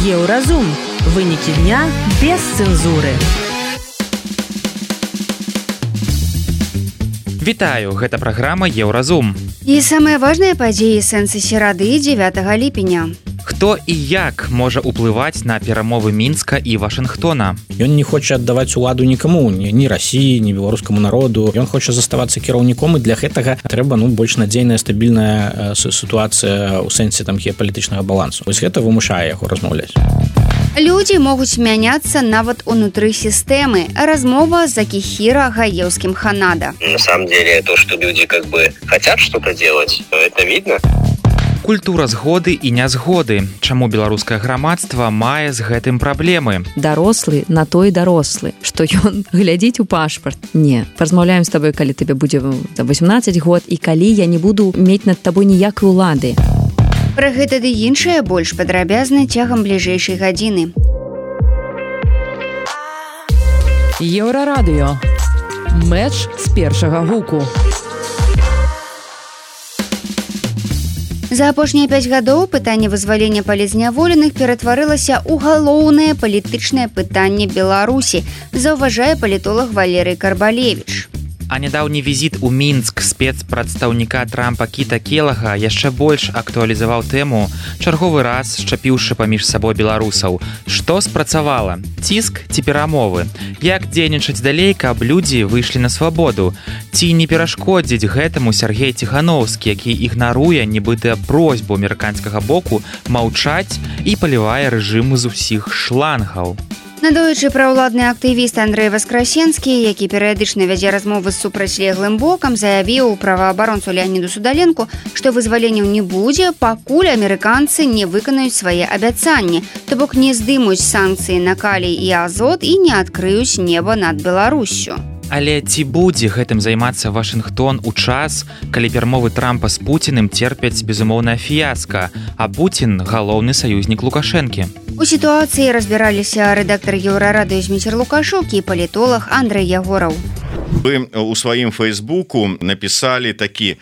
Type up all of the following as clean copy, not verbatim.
Еўразум. Вынікі дня без цэнзуры. Вітаю, гэта праграма Еўразум. І самыя важныя падзеі сэнсы серады 9 ліпеня. Хто і як можа ўплываць на перамовы Мінска і Вашынгтона? Ён не хоча аддаваць уладу нікому, ні Расіі, ні беларускаму народу. Ён хоча заставацца кіраўніком, і для гэтага трэба больш надзейная, стабільная сітуацыя ў сэнсе геапалітычнага балансу. Вось гэта вымушае яго размаўляць. Людзі могуць мяняцца нават унутры сістэмы. Размова за Кихира Гаевским Ханада. На самом деле, то, что люди хотят что-то делать, это видно. Культура згоды і нязгоды. Чаму беларускае грамадства мае з гэтым праблемы? Дарослы на той дарослы, што ён глядзіць у пашпарт. Не, паразмаўляем з табой, калі табе будзе 18 год і калі я не буду мець над табой ніякай улады. Пра гэта ды іншае больш падрабязна цягам бліжэйшай гадзіны. Еўрарадыё. Мэч з першага гуку. За апошнія 5 гадоў пытанне вызвалення палізняволеных ператварылася ў галоўнае палітычнае пытанне Беларусі, заўважае палітолог Валерый Карбалевіч. А нядаўні візіт у Мінск спецпрадстаўніка Трампа Кіта Келага яшчэ больш актуалізаваў тэму, чарговы раз шчапіўшы паміж сабой беларусаў. Што спрацавала? Ціск ці перамовы? Як дзейнічаць далей, каб людзі выйшлі на свабоду? Ці не перашкодзіць гэтаму Сергей Ціхановскі, які ігнаруе нібыта просьбу амерыканскага боку маўчаць і палівае рэжым з усіх шлангаў? Надоечы праўладны актывіст Андрэй Васкрасенскі, які перыядычна вядзе размовы з супрацьлеглым бокам, заявіў праваабаронцу Леаніду Судаленку, што вызваленняў не будзе, пакуль амерыканцы не выканаюць свае абяцанні, то бок не здымуць санкцыі на калій і азот і не адкрыюць неба над Беларуссю. Але ці будзе гэтым займацца Вашынгтон у час, калі перамовы Трампа з Пуціным церпяць безумоўнае фіяска, а Пуцін – галоўны саюзнік Лукашэнкі? У сітуацыі разбіраліся рэдактар Еўрарадыё Зміцер Лукашук і палітолог Андрэй Ягораў. Вы у сваім фейсбуку написали такі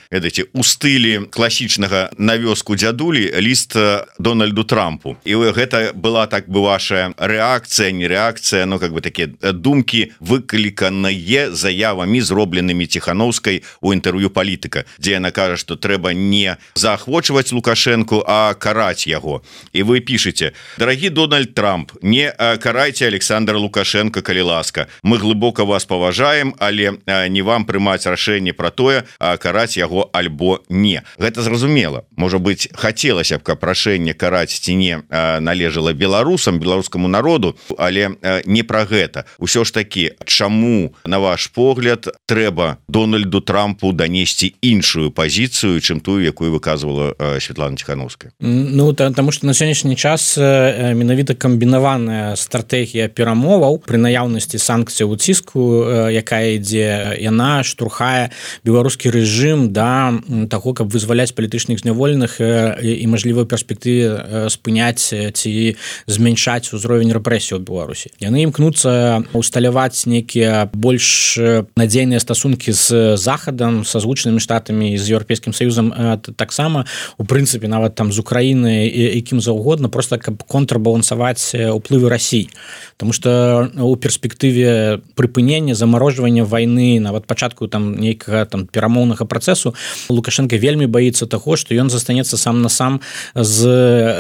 у стылі класічнага на вёску дзядулі ліст Дональду Трампу. І гэта была ваша рэакцыя, не рэакцыя, такія думкі, выкліканыя заявамі, зробленымі Ціхановскай у інтэрв'ю «Палітыка», дзе яна кажа, што трэба не заахвочваць Лукашэнку, а караць яго. І вы пішаце: «Дарагі Дональд Трамп, не карайце Александра Лукашенко, калі ласка. Мы глыбока вас паважаем, але не вам прымаць рашэнне пра тое, караць яго альбо не». Гэта зразумела. Можа быць, хацелася б, каб рашэнне караць ці не належала беларусам, беларускаму народу, але не пра гэта. Усё ж такі, чаму, на ваш погляд, трэба Дональду Трампу данесці іншую пазіцыю, чым тую, якую выказвала Святлана Ціхановская? Таму што на сённяшні час менавіта камбінаваная стратэгія перамоваў пры наяўнасці санкцыяў у ціску, якая ідзе, яна штурхае беларускі рэжым да таго, каб вызваляць палітычных зняволеных і мажлівай перспектыве спыняць ці змяншаць узровень рэпрэсій у Беларусі. Яны імкнуцца усталяваць нейкія больш надзейныя стасункі з Захадам, са Злучанымі Штатамі, з Еўрапейскім Саюзам таксама, у прынцыпе, нават з Украінай і кім заўгодна, просто каб контрбалансаваць уплывы Расіі. Таму што у перспектыве прыпынення, замарожвання вайны, нават пачатку нейкага перамоўнага працэсу, Лукашенко вельмі баіцца таго, што ён застанецца сам на сам з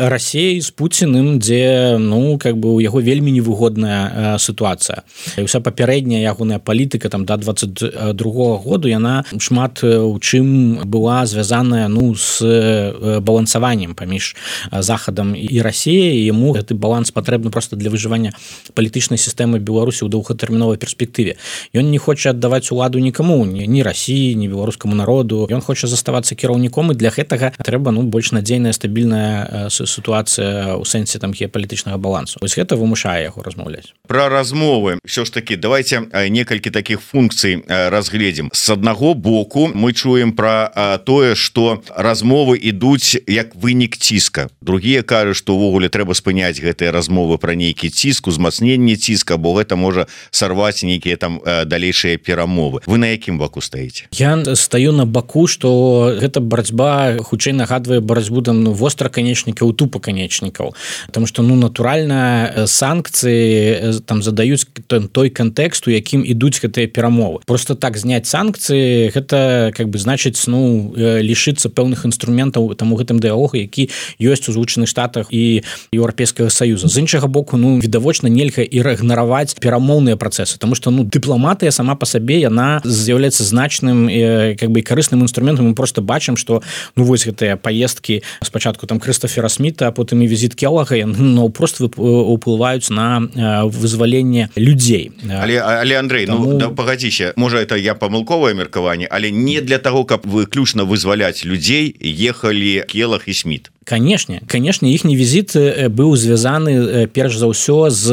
Расіяй, з Пуціным, дзе у яго вельмі невыгодная сітуацыя. І ўся папярэдняя ягоная палітыка да 22-го году, яна шмат у чым была звязаная з балансаваннем паміж Захадам і Расіяй, і яму гэты баланс патрэбны проста для выжывання палітычнай сістэмы Беларусі ў доўгатэрміновай перспектыве. Ён не хоча аддаваць уладу нікому, ні Расіі, ні беларускаму народу. Ён хоча заставацца кіраўніком, і для гэтага трэба больш надзейная, стабільная сітуацыя ў сэнсе геапалітычнага балансу. Вось гэта вымушае яго размаўляць. Пра размовы ўсё ж такі давайте некалькі такіх функцый разгледзім. З аднаго боку мы чуем пра тое, што размовы ідуць як вынік ціска. Другія кажуць, што ўвогуле трэба спыняць гэтыя размовы пра нейкі ціск, узмацненне ціска, бо гэта можа сарваць нейкія далейшыя гэтыя перамовы. Вы на якім баку стаіце? Я стаю на баку, што гэта барацьба хутчэй нагадвае барацьбу там востраканечнікаў, тупаканечнікаў, потому что натуральна санкцыі там задаюць той кантэкст, у якім ідуць гэтыя перамовы. Просто так зняць санкцыі гэта как бы значыць лишыцца пэўных інструментаў там у гэтым дыалогу, які ёсць у Злучаных Штатах і Еўрапейскага Саюза. З іншага боку, відавочна нельга ігнараваць перамоўныя працэсы, тому что дыпламатыя сама па сабе яна з'яўляецца значным как бы карысным інструментам. Мы просто бачым, што вось гэтыя паездкі спачатку там Крыстофера Сміта, а потым і візіт Келлага яны просто уплываюць на вызваленне людзей. Але Андрей, пагадзіся, можа это я памылковае меркаванне, але не для того, каб выключна вызваляць людзей ехалі Келлаг і Сміт. Канешне, іхні візіт быў звязаны перш за ўсё з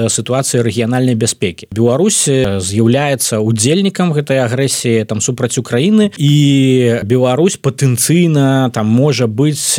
сітуацыяй рэгіянальнай бяспекі. Беларусь з'яўляецца удзельнікам гэтай агрэсіі там супраць Украіны, і Беларусь патэнцыйна там можа быць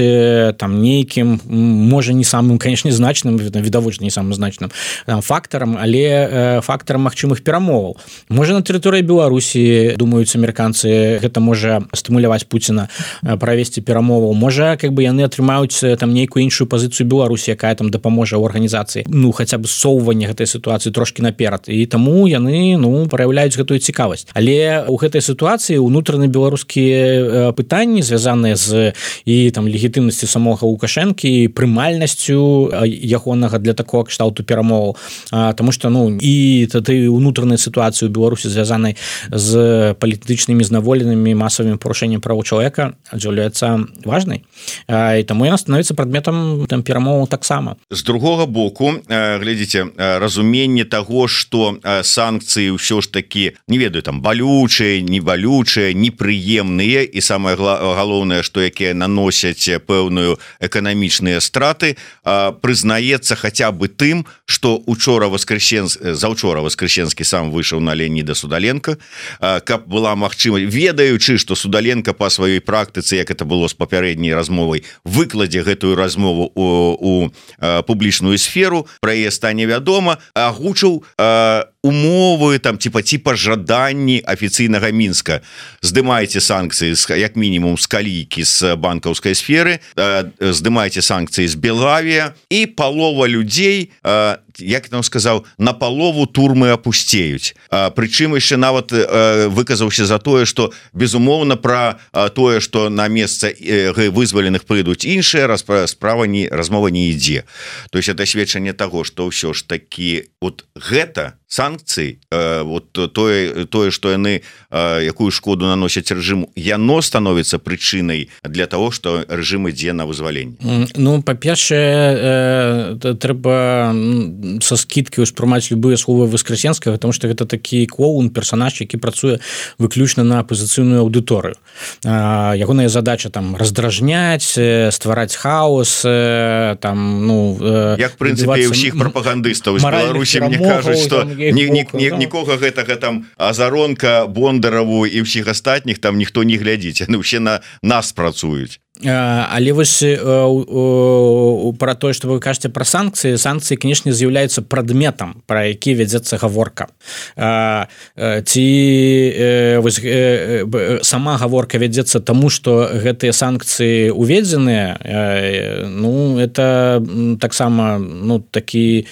там нейкім, можа не самым, канешне, значным, відавочна не самым значным фактарам, але фактарам магчымых перамоваў. Можа на тэрыторыі Беларусі, думаюць амерыканцы, гэта можа стымуляваць Пуціна правесці перамоваў. Можа, как бы яны атрымаюць там нейкую іншую пазіцыю Беларусі, якая там дапаможа ў арганізацыі, хаця б ссоўванне гэтай сітуацыі трошкі наперад, і таму яны праяўляюць гэтую цікавасць. Але ў гэтай сітуацыі ўнутраны беларускія пытанні, звязаныя з і там легітымнасці самога Лукашэнкі, прымальнасцю ягонага для такого кшталту перамоваў, таму што і тады ўнутранай сітуацыі ў Беларусі, звязанай з палітычнымі зняволенымі, масавымі парушэннем правоў чалавека, з'яўляецца важнай. І таму яна становіцца прадметам там перамоваў таксама. З другога боку, глядзіце, разуменне таго, што санкцыі ўсё ж такі, не ведаю, там балючыя, не балючыя, непрыемныя, і самае галоўнае, што якія наносяць пэўную эканамічныя страты, прызнаецца хаця бы тым, што заўчора Воскресенскі сам выйшаў на Леоніда Судаленка, каб была магчымасць, ведаючы, што Судаленка па сваёй практыцы, як это было з папярэдняй размовай, выкладзе гэтую размову у публічную сферу, пра яе стане вядома, агучыў умовы там типа жаданні афіцыйнага Мінска. Здымайце санкцыі як мінімум з калійкі з банкаўскай сферы, здымайце санкцыі з Белавія, і палова людзей, як там сказаў, на палову турмы апусцеюць. Прычым яшчэ нават выказаўся за тое, што безумоўна пра тое, што на месца вызваленых прыйдуць іншыя, размова не ідзе. То есть это сведчанне таго, што ўсё ж такі гэта санкцыі, тое, што яны якую шкоду наносяць рэжыму, яно становіцца прычынай для того, што рэжым ідзе на вызваленне. Па-першае, трэба са скідкі ўспрымаць любыя словы Воскресенскага, потому што гэта такі клоун, персанаж, які працуе выключна на апазіцыйную аўдыторыю. Ягоная задача там раздражняць, ствараць хаос, там, як прынцыпе ўсіх прапагандыстаў з Беларусі, мне кажуць, што нікога гэтага там Азаронка, Бондараву і ўсіх астатніх там ніхто не глядзіць, яны ўсе на нас працуюць. Але вось пра тое, што вы кажаце пра санкцыі, канешне, з'яўляюцца прадметам, пра які вядзецца гаворка. Ці сама гаворка вядзецца таму, што гэтыя санкцыі уведзеныя, это таксама такі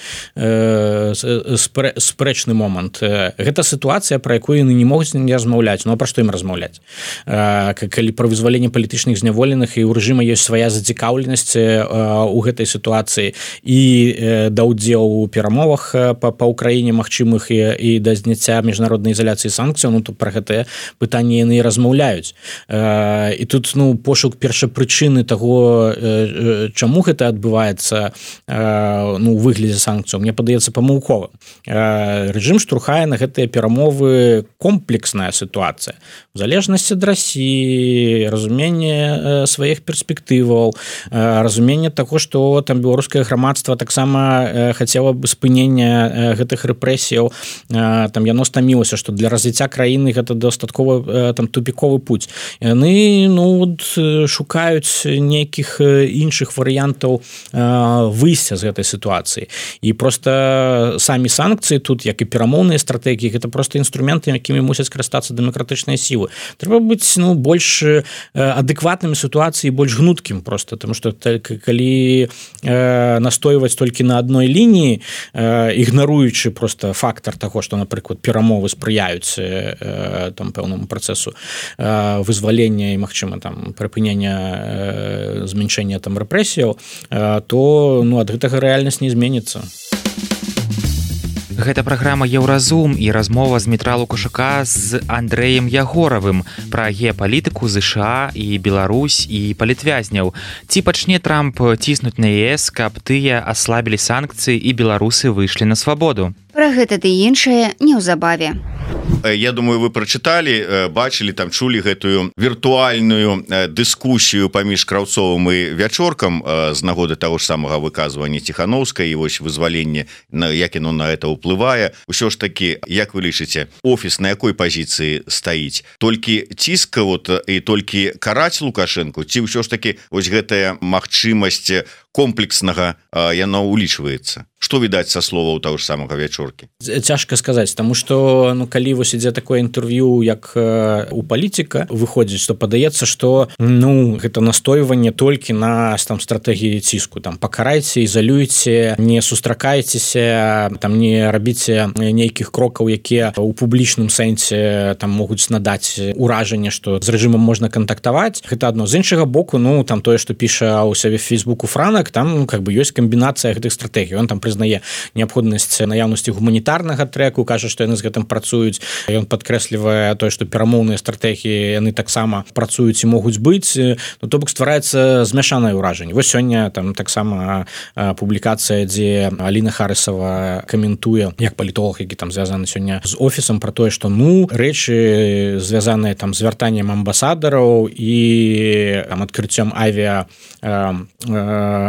спрэчны момант. Гэта сітуацыя, пра якую яны не могуць не размаўляць. А пра што ім размаўляць? Калі пра вызваленне палітычных зняволеных, і ў рэжыма ёсць свая зацікаўленасць у гэтай сітуацыі і да ўдзелу ў перамовах па ўкраіне магчымых і да зняцця міжнароднай ізаляцыі санкцыяў, то пра гэтае пытанне яны размаўляюць. І тут пошук першапрычыны таго, чаму гэта адбываецца у выглядзе санкцыяў, мне падаецца памылкова. Рэжым штурхае на гэтыя перамовы комплексная сітуацыя. У залежнасці ад Расіі, разуменне сваіх сваіх перспектываў, разуменне таго, што там беларускае грамадства таксама хацела бы спынення гэтых рэпрэсіяў, там яно стамілася, што для развіцця краіны гэта дастаткова там тупіковы путь. Яны шукаюць нейкіх іншых варыянтаў выйсця з гэтай сітуацыі. І просто самі санкцыі тут, як і перамоўныя стратэгіі, гэта просто інструменты, якімі мусяць карыстацца дэмакратычныя сілы. Трэба быць больш адэкватным сітуацыі, больш гнуткім просто, тому што калі настойваць толькі на адной лініі, ігнаруючы просто фактар таго, што, напрыклад, перамовы спрыяюць там пэўнаму працэсу вызвалення і, магчыма, там прыпынення змяншэння там рэпрэсіяў, то ад гэтага рэальнасць не зменіцца. Гэта праграма «Еўразум» і размова з Дмітра Лукашука з Андрэем Ягоравым пра геапалітыку ЗША і Беларусь і палітвязняў. Ці пачне Трамп ціснуць на ЕС, каб тыя аслабілі санкцыі і беларусы выйшлі на свабоду? Пра гэта ды іншае неўзабаве. Я думаю, вы прачыталі, бачылі, там чулі гэтую віртуальную дыскусію паміж Краўцовым і Вячоркам з нагоды таго ж самага выказвання Ціхановскай і вось вызваленне, як яно на это ўплывае. Усё ж такі, як вы лічыце, офіс на якой пазіцыі стаіць? Толькі ціск і толькі караць Лукашэнку, ці ўсё ж такі вось гэтая магчымасць комплекснага яно ўлічваецца? Што відаць са словаў таго ж самага Вячоркі? Цяжка сказаць, таму што калі вось ідзе такое інтэрв'ю, як у палітыка, выходзіць, што падаецца, што гэта настойванне толькі на там стратэгіі ціску, там пакарайце, ізалюйце, не сустракайцеся, там не рабіце нейкіх крокаў, якія ў публічным сэнсе там могуць надаць уражанне, што з рэжымам можна кантактаваць. Гэта адно. З іншага боку, там тое, што піша ў сябе в Фейсбуку Франак, там ёсць камбінацыя гэтых стратэгій. Ён там прызнае неабходнасць наяўнасці гуманітарнага трэку, кажа, што яны з гэтым працуюць. Ён падкрэслівае тое, што перамоўныя стратэгіі яны таксама працуюць і могуць быць. То бок ствараецца змяшанае ўражанне. Вось сёння там таксама публікацыя, дзе Аліна Харысава каментуе, як палітолог, які там звязаны сёння з офісам, пра тое, што рэчы звязаныя там з вяртаннем амбасадараў і там адкрыццём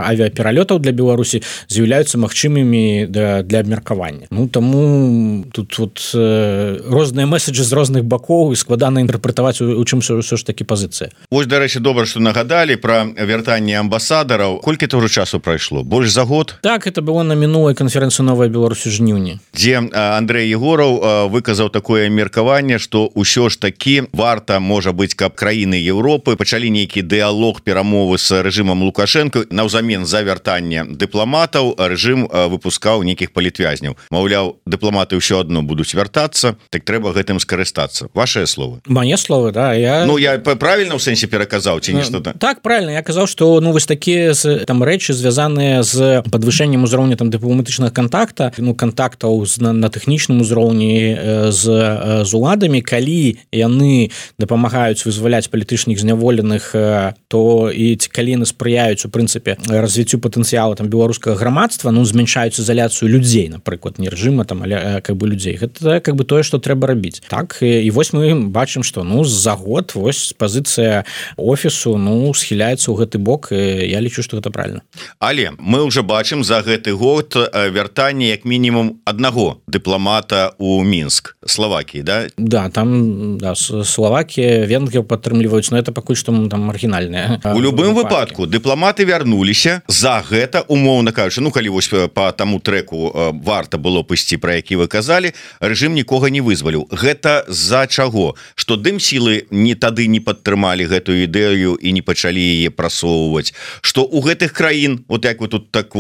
авіапералётаў для Беларусі з'яўляюцца магчымымі для абмеркавання. Таму тут розныя меседжы з розных бакоў і складана інтэрпрэтаваць, у чым ўсё ж такі пазіцыя. Вось, дарэчы, добра, што нагадалі пра вяртанне амбасадараў. Колькі то ўжо часу прайшло? Больш за год? Так, это было на мінулай канферэнцыі «Новая Беларусь» у жніўні. Дзе Андрэй Ягораў выказаў такое меркаванне, што ўсё ж такі варта, можа быць, каб краіны Еўропы пачалі нейкі дыялог, перамовы з рэжымам Лукашэнка, наўзамен за вяртанне дыпламатаў рэжым выпускаў нейкіх палітвязняў. Маўляў, дыпламаты ўсё адно будуць вяртацца, так трэба гэтым скарыстацца. Вашыя словы? Мае словы, да. Я правільна ў сэнсе пераказаў ці нешта? Так, правільна. Я казаў, што вось такія там рэчы звязаныя з падвышэннем узроўня там дыпламатычнага кантактаў на тэхнічным узроўні з уладамі, калі яны дапамагаюць вызваляць палітычных зняволеных, то і калі яны спрыяюць у прынцыпе развіццю патэнцыялу там беларускага грамадства, змяншаюць ізаляцыю людзей, напрыклад, не рэжыма там, але людзей. Гэта тое, што трэба рабіць. Так, і вось мы бачым, што за год вось пазіцыя офісу схіляецца ў гэты бок, і я лічу, што гэта правильно. Але мы ўжо бачым за гэты год вяртанне як мінімум аднаго дыпламата ў Мінск, Словакіі, да? Да, там Словакія, Венгрыя падтрымліваюць, но это пакуль што там маргінальнае. У любым выпадку дыпламаты вярнуліся. За гэта, умоўна кажучы, калі вось по таму трэку варта было пысці, пра які вы казалі, рэжым нікога не вызваліў. Гэта з-за чаго? Што дым-сілы тады не падтрымалі гэтую ідэю і не пачалі яе прасоўваць. Што ў гэтых краін, як вы тут так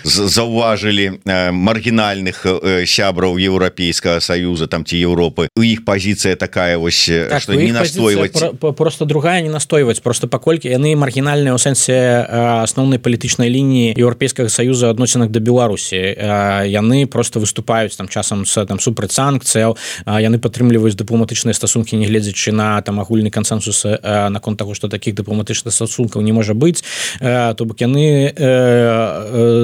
заўважылі, маргінальных сябраў Еўрапейскага Саюза там ці Еўропы, у іх пазіцыя такая вось, што не настойваць. Просто другая не настойваць, просто паколькі яны маргінальныя ў сэнсе асноўнай палітычнай лініі Еўрапейскага Саюза адносінах да Беларусі. Беларусі. Яны просто выступаюць там часам супраць санкцыяў, яны падтрымліваюць дыпламатычныя стасункі, не гледзячы на там агульны кансенсус наконт таго, што такіх дыпламатычных стасункаў не можа быць. То бок яны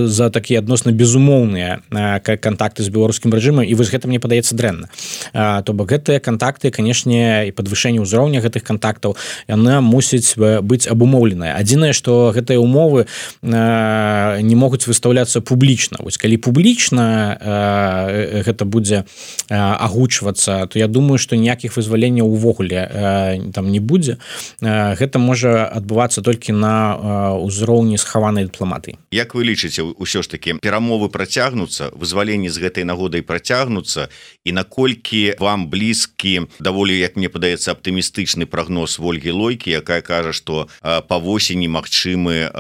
за такія адносна безумоўныя кантакты з беларускім рэжымам, і вось гэта мне падаецца дрэнна. То бок гэтыя кантакты, канешне, і падвышэнне ўзроўня гэтых кантактаў, яна мусіць быць абумоўленая. Адзінае, што гэтыя умовы не могуць выстаўляцца публічна. Вось калі публічна гэта будзе агучвацца, то я думаю, што ніякіх вызваленняў увогуле там не будзе. Гэта можа адбывацца толькі на ўзроўні схаванай дыпламатыі. Як вы лічыце, ўсё ж такі перамовы працягнуцца, вызваленні з гэтай нагодай працягнуцца, і наколькі вам блізкі даволі, як мне падаецца, аптымістычны прагноз Ольгі Лойкі, якая кажа, што па восені магчымы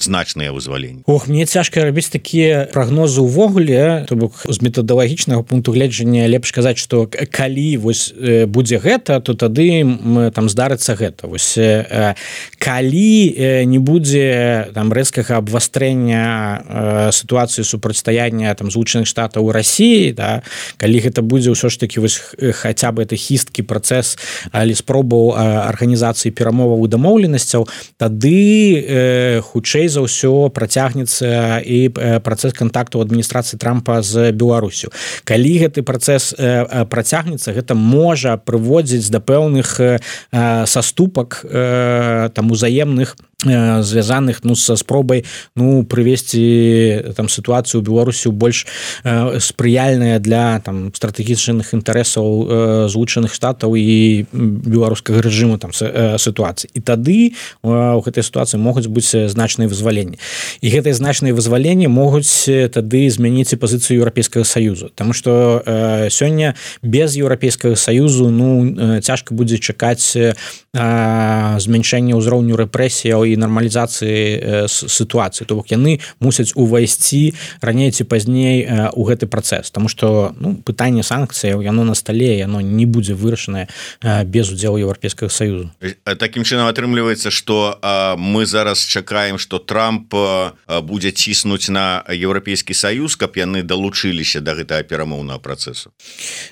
значныя вызваленні? Мне цяжка рабіць такія прагнозы ўвогуле, то бок з метадалагічнага пункту гледжання лепш казаць, што калі вось будзе гэта, то тады там здарыцца гэта. Вось калі не будзе там рэзкага абвастрэння сітуацыі супрацьстаяння там Злучаных Штатаў у Расіі, да, калі гэта будзе ўсё ж такі вось хаця бы это хісткі працэс, але спробаў арганізацыі перамоваў і дамоўленасцяў, тады хутчэй за ўсё працягнецца і працэс кантакту адміністрацыі Трампа з Беларусю. Калі гэты працэс працягнецца, гэта можа прыводзіць да пэўных саступак там узаемных, звязаных са спробай прывесці там сітуацыю ў Беларусі больш спрыяльная для там стратэгічных інтарэсаў Злучаных Штатаў і беларускага рэжыму там сітуацыі. І тады у гэтай сітуацыі могуць быць значныя вызваленні. І гэтыя значныя вызваленні могуць тады змяніць і пазіцыю Еўрапейскага Саюзу. Таму што сёння без Еўрапейскага Саюзу цяжка будзе чакаць змяншэння ўзроўню рэпрэсіяў і нармалізацыі сітуацыі. То бок яны мусяць увайсці раней ці пазней у гэты працэс. Таму што пытанне санкцыяў, яно на стале, яно не будзе вырашанае без удзелу Еўрапейскага Саюзу. Такім чынам атрымліваецца, што мы зараз чакаем, што Трамп будзе ціснуць на Еўрапейскі Саюз, каб яны далучыліся да гэтага перамоўнага працэсу.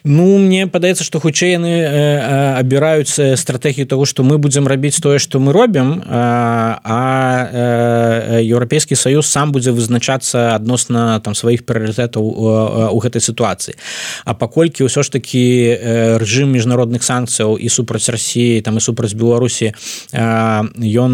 Мне падаецца, што хутчэй яны абіраюць стратэгію таго, што мы будзем рабіць тое, што мы робім, а Еўрапейскі Саюз сам будзе вызначацца адносна там сваіх прыярытэтаў у гэтай сітуацыі. А паколькі ўсё ж такі рэжым міжнародных санкцыяў і супраць Расіі, там і супраць Беларусі, ён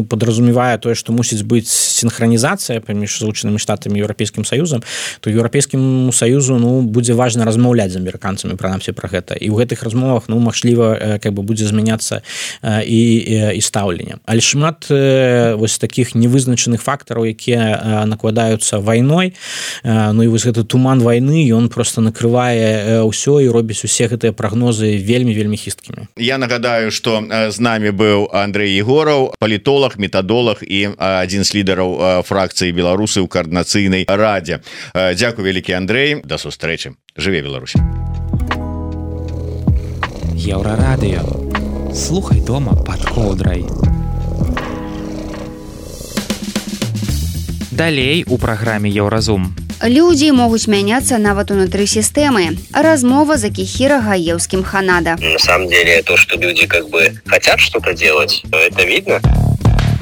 падразумевае тое, што мусіць быць сінхранізацыя паміж Злучанымі Штатамі і Еўрапейскім Саюзам, то Еўрапейскіму Саюзу будзе важна размаўляць з амерыканцамі прынамсі пра гэта. І ў гэтых размовах магчыма будзе змяняцца і стаўленне. Але шмат вось такіх невызначаных фактараў, якія накладаюцца вайной. І вось гэты туман вайны, ён просто накрывае ўсё і робіць усе гэтыя прагнозы вельмі хісткімі. Я нагадаю, што з намі быў Андрэй Егораў, палітолог, метадолог і адзін з лідараў фракцыі беларусы ў каардынацыйнай радзе. Дзякуй вялікі, Андрэй, да сустрэчы. Жыве Беларусь. Еўрарадыё. Слухай дома пад коўдрай. Далей у праграме Еўразум. Людзі могуць мяняцца нават унутры сістэмы. Размова за Кихира Гаевским Ханада. На самом деле, то, что люди хотят что-то делать, это видно.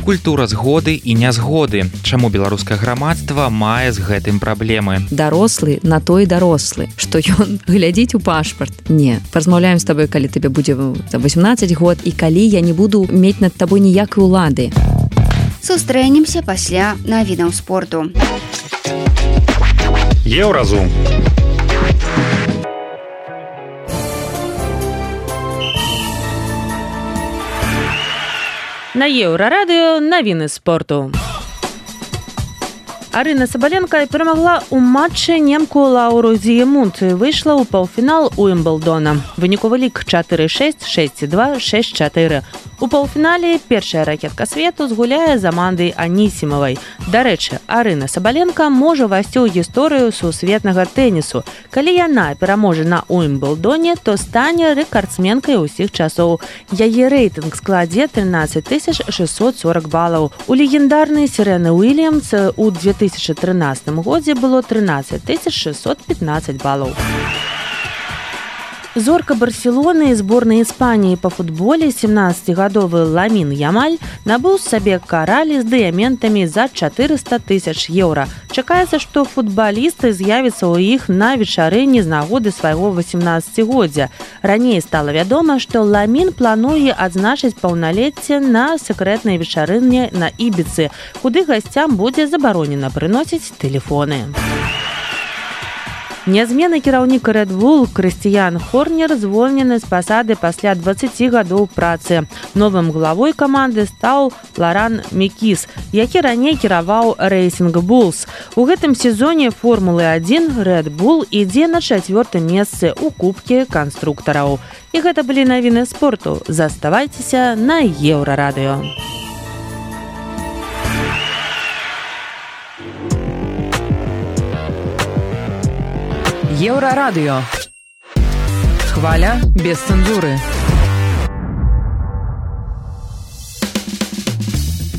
Культура згоды і нязгоды. Чаму беларускае грамадства мае з гэтым праблемы? Дарослы на той дарослы, што ён глядзіць у пашпарт. Не, паразмаўляем з табой, калі табе будзе 18 год і калі я не буду мець над табой ніякай улады. Сустрэнемся пасля навінаў спорту. Еўразум. На Еўрарадыё навіны спорту. Арына Сабаленка перамагла ў матчы немку Лауру Зіемунд і выйшла ў паўфінал Уімблдона. Выніковы лік 4-6, 6-2, 6-4. У паўфінале першая ракетка свету згуляе з Амандай Анісімавай. Дарэчы, Арына Сабаленка можа ўвайсці ў гісторыю сусветнага тэнісу. Калі яна пераможа на Уімблдоне, то стане рэкардсменкай усіх часоў. Яе рэйтынг складзе 13 640 балаў. У легендарнай Серены Уільямс у 2000 2013 годзе было 13 615 балаў. Зорка Барселоны і зборнай Іспаніі па футболе 17-гадовы Ламін Ямаль набыў сабе каралі з дыяментамі за 400 000 еўра. Чакаецца, што футбалісты з'явяцца ў іх на вечарыне з нагоды свайго 18-годдзя. Раней стала вядома, што Ламін плануе адзначыць паўналецце на сакрэтнай вечарыне на Ібіцы, куды гасцям будзе забаронена прыносіць тэлефоны. Нязменны кіраўнік Red Bull Крыстіян Хорнер звольнены з пасады пасля 20 гадоў працы. Новым главой каманды стаў Лоран Мекіс, які раней кіраваў Racing Bulls. У гэтым сезоне Формулы-1 Red Bull ідзе на 4-м месцы ў кубке канструктараў. І гэта былі навіны спорту. Заставайцеся на Еўрарадыё. Еўрарадыё. Хваля без цэнзуры.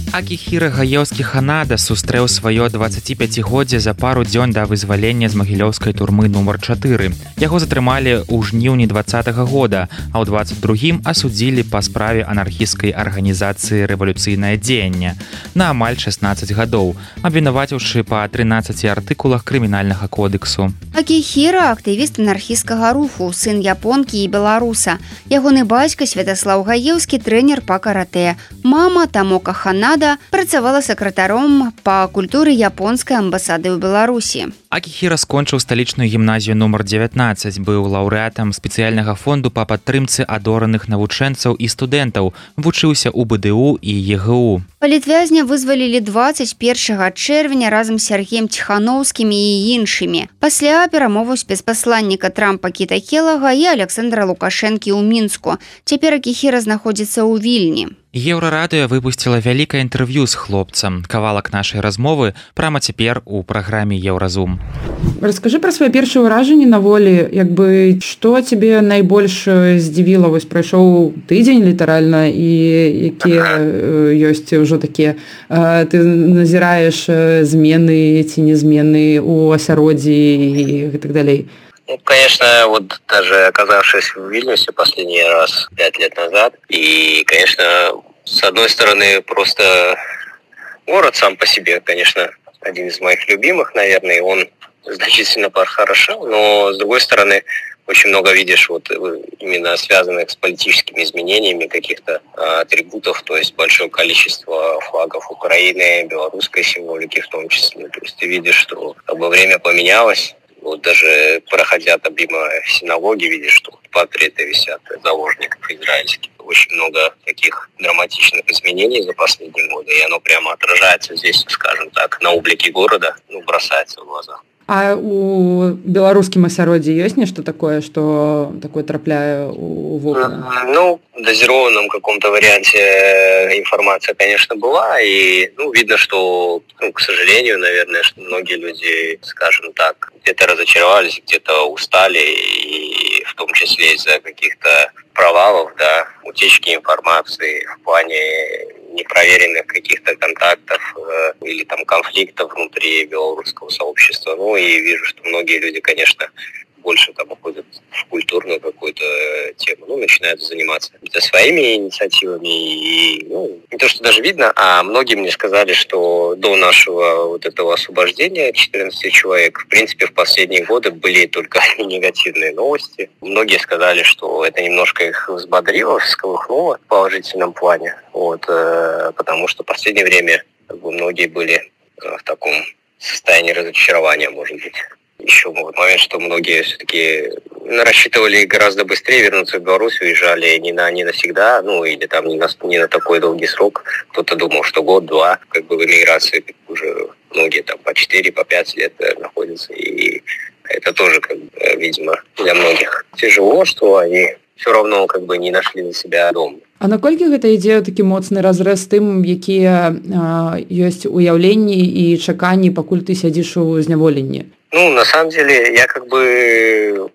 Акіхіра Гаеўскі Ханада сустрэў сваё 25годдзе за пару дзён да вызвалення з магілёўскай турмы нумар 4. Яго затрымалі ў жніўні 20-го года, а ў 22-м асудзілі па справе анархісцкай арганізацыі «Рэвалюцыйнае дзеянне» на амаль 16 гадоў, абвінаваціўшы па 13 артыкулах крымінальнага кодексу. Акіхіра – актывіст анархісцкага руху, сын японкі і беларуса. Ягоны бацька Святаслаў Гаеўскі трэнер па каратэ. Мама Тамока Ханада працавала сакратаром па культуры японскай амбасады ў Беларусі. Акіхіра скончыў сталічную гімназію нумар 19, быў лаўрэатам спецыяльнага фонду па падтрымцы адораных навучэнцаў і студэнтаў, вучыўся ў БДУ і ЕГУ. Палітвязня вызвалілі 21 чэрвеня разам з Сергеем Ціхановскім і іншымі. Пасля перамоваў спецпасланніка Трампа Кіта Келага і Александра Лукашэнкі ў Мінску. Цяпер Акіхіра знаходзіцца ў Вільні. Еўрарадыё выпусціла вялікае інтэрв'ю з хлопцам. Кавалак нашай размовы прямо цяпер у праграме Еўразум. Раскажы пра свае першыя ўражанні на волі, што цябе найбольш здзівіла? Вось прайшоў тыдзень літаральна, і якія ёсць ужо такія, ты назіраеш змены ці незмены ў асяроддзі і так далей. Ну, конечно, вот даже оказавшись в Вильнюсе последний раз 5 лет назад, и, конечно, с одной стороны, просто город сам по себе, конечно, один из моих любимых, наверное, он значительно похорошел, но, с другой стороны, очень много видишь вот именно связанных с политическими изменениями каких-то атрибутов, то есть большое количество флагов Украины, белорусской символики в том числе. То есть ты видишь, что как бы время поменялось. Вот даже проходя там мимо синагоги, видишь, что портреты висят заложников израильских. Очень много таких драматичных изменений за последние годы, и оно прямо отражается здесь, скажем так, на облике города, бросается в глаза. А у беларускім асяроддзі ёсць нешта такое, што такое трапляе у вокна? Ну, в дозированном каком-то варианте информация, конечно, была, и видно, что, к сожалению, наверное, что многие люди, скажем так, где-то разочаровались, где-то устали, и в том числе из-за каких-то провалов, утечки информации в плане непроверенных каких-то контактов или там конфликтов внутри белорусского сообщества. И вижу, что многие люди, конечно, больше там уходят в культурную какую-то тему, начинают заниматься своими инициативами. И, не то, что даже видно, а многие мне сказали, что до нашего вот этого освобождения 14 человек, в принципе, в последние годы были только негативные новости. Многие сказали, что это немножко их взбодрило, всколыхнуло в положительном плане, потому что в последнее время многие были в таком состоянии разочарования, может быть. Еще момент, что многие все-таки рассчитывали гораздо быстрее вернуться в Беларусь, уезжали не навсегда, или там не на такой долгий срок. Кто-то думал, что год-два, в эмиграции уже многие там по 4, по 5 лет находятся. И это тоже, видимо, для многих тяжело, что они все равно не нашли для себя дом. А наколькі гэта ідзе такі моцны разрэз тым, якія ёсць уяўленні і чаканні, пакуль ты сядзіш у зняволенні? На самом деле, я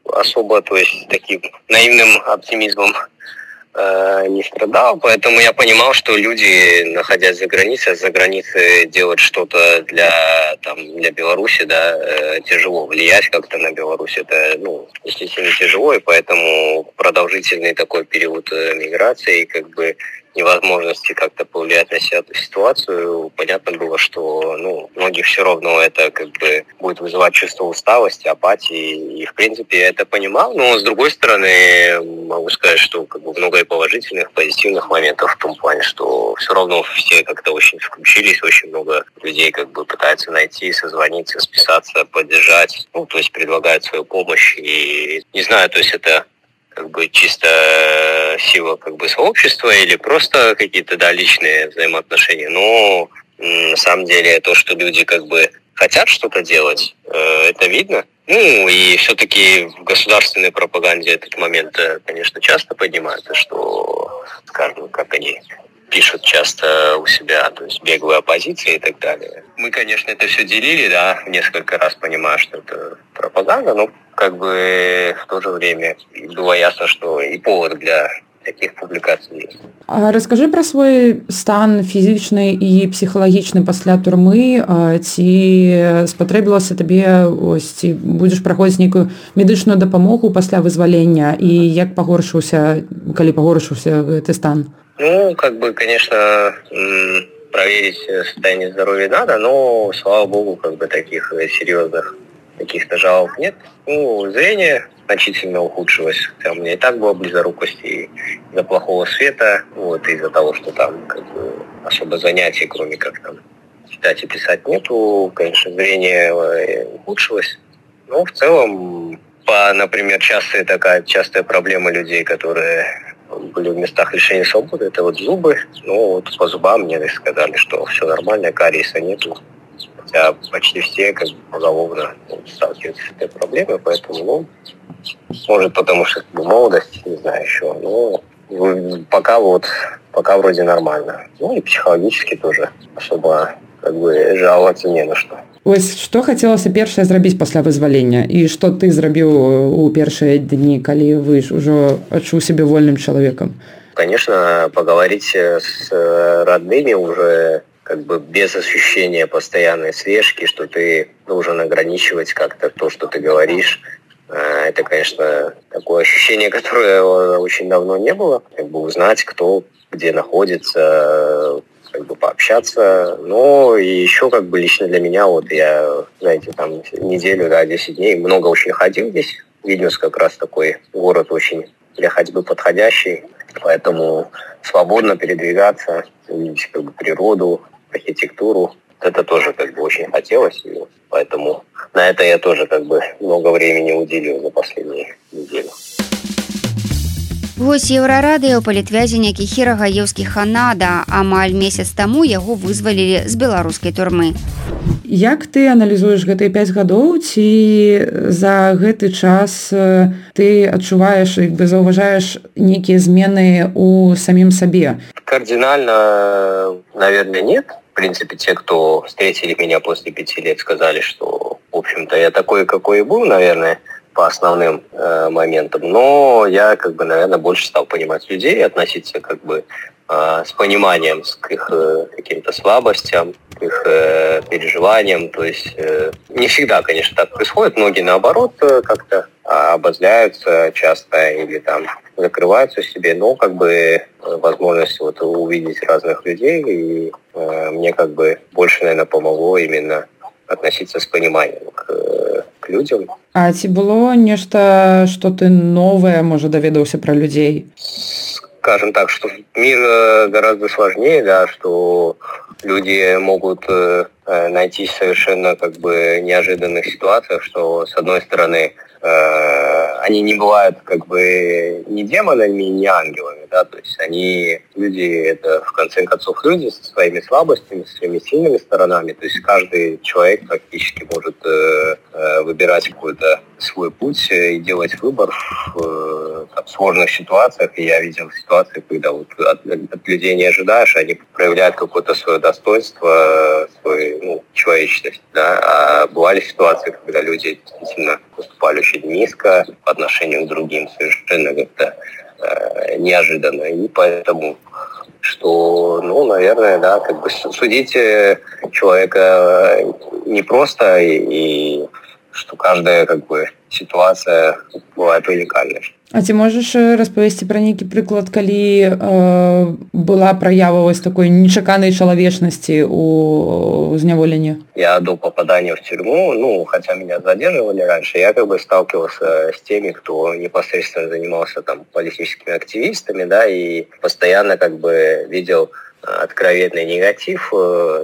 особо, то есть, таким наивным оптимизмом не страдал, поэтому я понимал, что люди, находясь за границей делать что-то для Беларуси, да, тяжело влиять как-то на Беларусь, это, естественно, тяжело, и поэтому продолжительный такой период миграции, как бы невозможности как-то повлиять на эту ситуацию, понятно было, что, многих все равно это как бы будет вызывать чувство усталости, апатии, и в принципе я это понимал, но с другой стороны могу сказать, что как бы много и положительных, позитивных моментов в том плане, что все равно все как-то очень включились, очень много людей как бы пытаются найти, созвониться, списаться, поддержать, то есть предлагают свою помощь, и не знаю, то есть это как бы чисто сила как бы сообщества или просто какие-то, да, личные взаимоотношения. Но на самом деле то, что люди как бы хотят что-то делать, это видно. И все-таки в государственной пропаганде этот момент, конечно, часто поднимается, что, скажем, как они пишут часто у себя, то есть беглая оппозиция и так далее. Мы, конечно, это все делили, да, несколько раз понимая, что это пропаганда, но как бы в то же время было ясно, что и повод для таких публікацый есть. А расскажи про свой стан фізічны і псіхалагічны пасля турмы, ці спатрэбілася табе, ці будзеш праходзіць нейкую медычную дапамогу пасля вызвалення, і як калі пагоршыўся гэты стан? Как бы, конечно, проверить состояние здоровья надо, но, слава богу, как бы таких серьезных каких-то жалоб нет. Зрение значительно ухудшилось. Хотя у меня и так была близорукость и из-за плохого света, из-за того, что там как бы особо занятий, кроме как там читать и писать, нету. Конечно, зрение ухудшилось. Но в целом, например, частая проблема людей, которые были в местах лишения свободы, это зубы. По зубам мне сказали, что все нормально, кариеса нету. Хотя почти все как бы поголовно сталкиваются с этой проблемой, поэтому, может, потому что молодость, не знаю еще, но пока вроде нормально. И психологически тоже особо как бы жаловаться не на что. Што хацелася першае зрабіць пасля вызвалення, і што ты зрабіў у першыя дні, калі вы ўжо адчуў сябе вольным чалавекам? Конечно, поговорить с родными уже как бы без ощущения постоянной слежки, что ты должен ограничивать как-то то, что ты говоришь. Это, конечно, такое ощущение, которое очень давно не было. Как бы узнать, кто где находится, как бы пообщаться. Но и еще как бы лично для меня, я, знаете, там неделю, 10 дней много очень ходил здесь. Вильнюс как раз такой город очень для ходьбы подходящий. Поэтому свободно передвигаться, увидеть как бы природу, архитектуру. Это тоже как бы очень хотелось. И поэтому на это я тоже как бы много времени уделил за последние недели. Гость Еўрарадыё палітвязень Акіхіра Гаеўскі Ханада. Амаль месяц таму яго вызвалілі з беларускай турмы. Як ты аналізуеш гэтыя 5 гадоў, ці за гэты час ты адчуваеш, заўважаеш нейкія змены у самім сабе? Кардинально, наверное, нет. В принципе, те, кто встретили меня после 5 лет, сказали, что, в общем-то, я такой, какой и был, наверное, по основным моментам. Но я, как бы, наверное, больше стал понимать людей, относиться, как бы, с пониманием к их каким-то слабостям, к их переживаниям. То есть не всегда, конечно, так происходит. Многие, наоборот, как-то обозляются часто или там закрываются в себе. Но, как бы, возможность увидеть разных людей, и мне, как бы, больше, наверное, помогло именно относиться с пониманием к людям. А ці было нешта, што ты новае, можа, даведаўся пра людзей? Скажем так, что мир гораздо сложнее, да, что люди могут найтись в совершенно как бы неожиданных ситуациях, что с одной стороны они не бывают как бы ни демонами, ни ангелами, да, то есть люди, это в конце концов люди со своими слабостями, со своими сильными сторонами, то есть каждый человек практически может выбирать какой-то свой путь и делать выбор в сложных ситуациях, и я видел ситуации, когда от людей не ожидаешь, они проявляют какое-то свое достоинство, свою человечность, да, а бывали ситуации, когда люди действительно поступали очень низко по отношению к другим, совершенно как-то неожиданно. И поэтому, что, ну, наверное, да, как бы судить человека непросто, и что каждая, как бы, ситуация бывает уникальной. А ці можаш распавесці пра нейкі прыклад, калі была праява вось такой нечаканай чалавечнасці у зняволенні? Я до попадания в тюрьму, ну, хотя меня задерживали раньше, я как бы сталкивался с теми, кто непосредственно занимался там политическими активистами, да, и постоянно как бы видел откровенный негатив,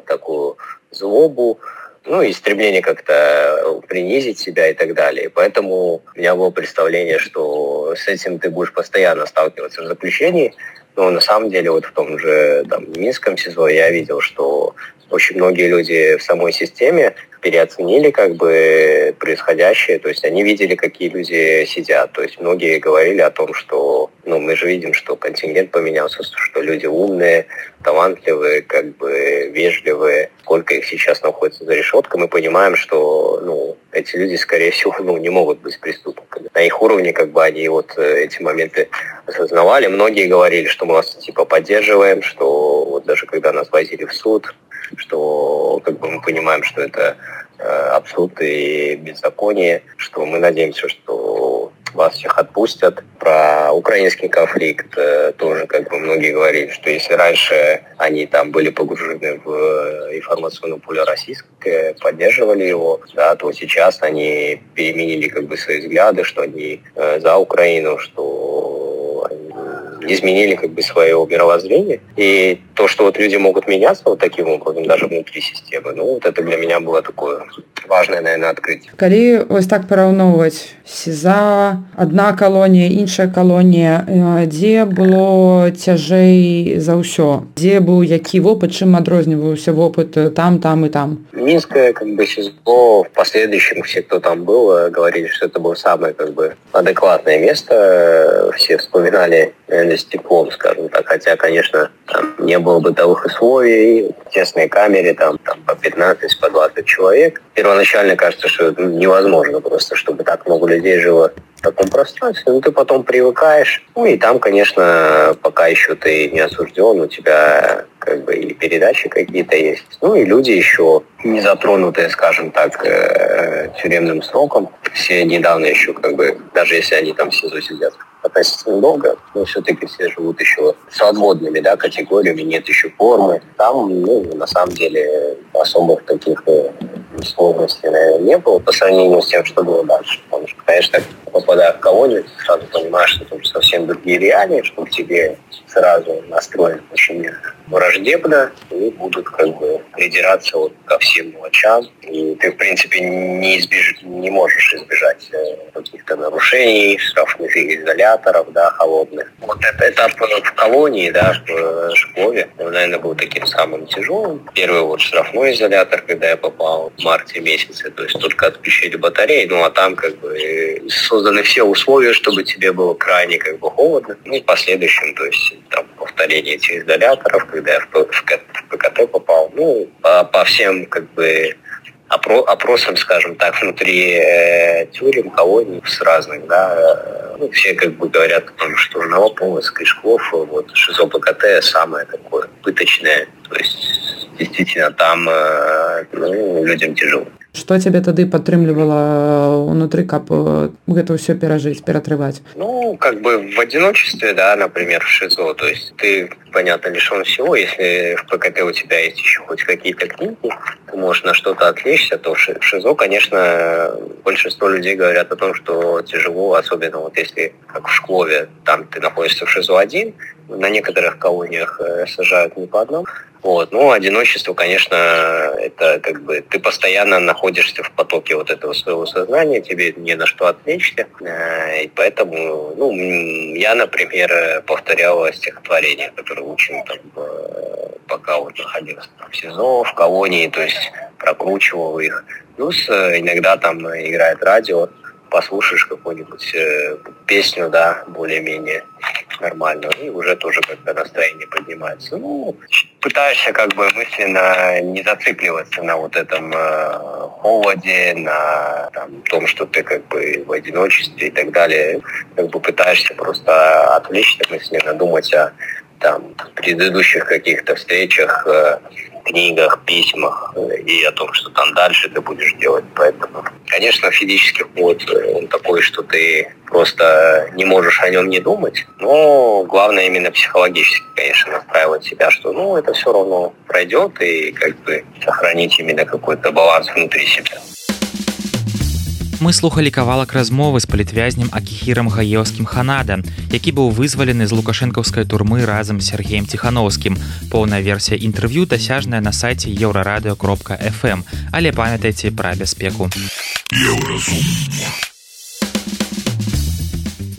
такую злобу, ну, и стремление как-то принизить себя и так далее. И поэтому у меня было представление, что с этим ты будешь постоянно сталкиваться в заключении. Но на самом деле вот в том же там, Минском СИЗО я видел, что очень многие люди в самой системе переоценили как бы происходящее, то есть они видели, какие люди сидят, то есть многие говорили о том, что, ну, мы же видим, что контингент поменялся, что люди умные, талантливые, как бы вежливые, сколько их сейчас находится за решеткой, мы понимаем, что, ну, эти люди, скорее всего, ну, не могут быть преступниками. На их уровне, как бы, они вот эти моменты осознавали, многие говорили, что мы вас, типа, поддерживаем, что вот даже когда нас возили в суд, что как бы мы понимаем, что это абсурд и беззаконие, что мы надеемся, что вас всех отпустят. Про украинский конфликт тоже как бы многие говорили, что если раньше они там были погружены в информационное поле российское, поддерживали его, да, то сейчас они переменили как бы свои взгляды, что они за Украину, что они изменили как бы свое мировоззрение. И то, что вот люди могут меняться вот таким образом, даже внутри системы, ну, вот это для меня было такое важное, наверное, открытие. Калі ось так параўноўваць СІЗА, адна калонія, іншая калонія, дзе было цяжэй за ўсё? Дзе быў які вопыт, чым адрозніваўся вопыт там и там? Минское как бы СИЗО, в последующем все, кто там был, говорили, что это было самое как бы адекватное место. Все вспоминали, наверное, с теплом, скажем так. Хотя, конечно, там не было бытовых условий, в тесной камере, там по 15, по 20 человек. Первоначально кажется, что это невозможно просто, чтобы так много людей жило в таком пространстве. Ну, ты потом привыкаешь. Ну, и там, конечно, пока еще ты не осужден, у тебя как бы и передачи какие-то есть. Ну, и люди еще не затронутые, скажем так, тюремным сроком. Все недавно еще как бы, даже если они там в СИЗО сидят относительно долго, но все-таки все живут еще свободными, да, категориями, нет еще формы. Там, ну, на самом деле, особых таких сложностей, наверное, не было по сравнению с тем, что было дальше. Потому что, конечно, попадая в колонию, ты сразу понимаешь, что там совсем другие реалии, что к тебе сразу настроен очень враждебно и будут как бы придираться вот ко всем мелочам. И ты, в принципе, не можешь избежать каких-то нарушений, штрафных изоляторов, да, холодных. Вот это этап в колонии, да, в школе, наверное, был таким самым тяжелым. Первый вот штрафной изолятор, когда я попал в марте месяце, то есть только отключили батареи, ну а там как бы созданы все условия, чтобы тебе было крайне как бы холодно. Ну и в последующем, то есть там повторение этих изоляторов, когда я в ПКТ попал, ну по всем как бы опросам, скажем так, внутри тюрем, колоний с разных, да, ну, все как бы говорят о том, что Новополоцк, Ишков, вот ШИЗО ПКТ самое такое пыточное, то есть действительно там ну, людям тяжело. Што цябе тады падтрымлівала ўнутры, каб гэта ўсё перажыць, ператрываць? Ну, как бы в одиночестве, да, например, в ШИЗО. То есть ты, понятно, лишен всего. Если в ПКТ у тебя есть еще хоть какие-то книги, ты можешь на что-то отвлечься, то в ШИЗО, конечно, большинство людей говорят о том, что тяжело, особенно вот если, как в Шклове, там ты находишься в ШИЗО один, на некоторых колониях сажают не по одному. Вот. Ну, одиночество, конечно, это как бы ты постоянно находишься в потоке вот этого своего сознания, тебе не на что отвлечься. И поэтому, ну, я, например, повторял стихотворения, которые учил там, пока вот находился в СИЗО, в колонии, то есть прокручивал их. Плюс иногда там играет радио, послушаешь какую-нибудь песню, да, более-менее нормальную, и уже тоже как-то настроение поднимается. Ну, пытаешься как бы мысленно не зацикливаться на вот этом холоде, на том, что ты как бы в одиночестве и так далее. Как бы пытаешься просто отвлечься мысленно, думать о предыдущих каких-то встречах, книгах, письмах и о том, что там дальше ты будешь делать. Поэтому, конечно, физический ход, он такой, что ты просто не можешь о нем не думать. Но главное именно психологически, конечно, настраивать себя, что это все равно пройдет, и как бы сохранить именно какой-то баланс внутри себя. Мы слухалі кавалак размовы з палітвязнем Акіхірам Гаеўскім Ханада, які быў вызвалены з лукашэнкаўскай турмы разам з Сергеем Ціхановскім. Поўная версія інтэрв'ю дасяжная на сайце еўрарадыё.фм, але памятайце пра бяспеку.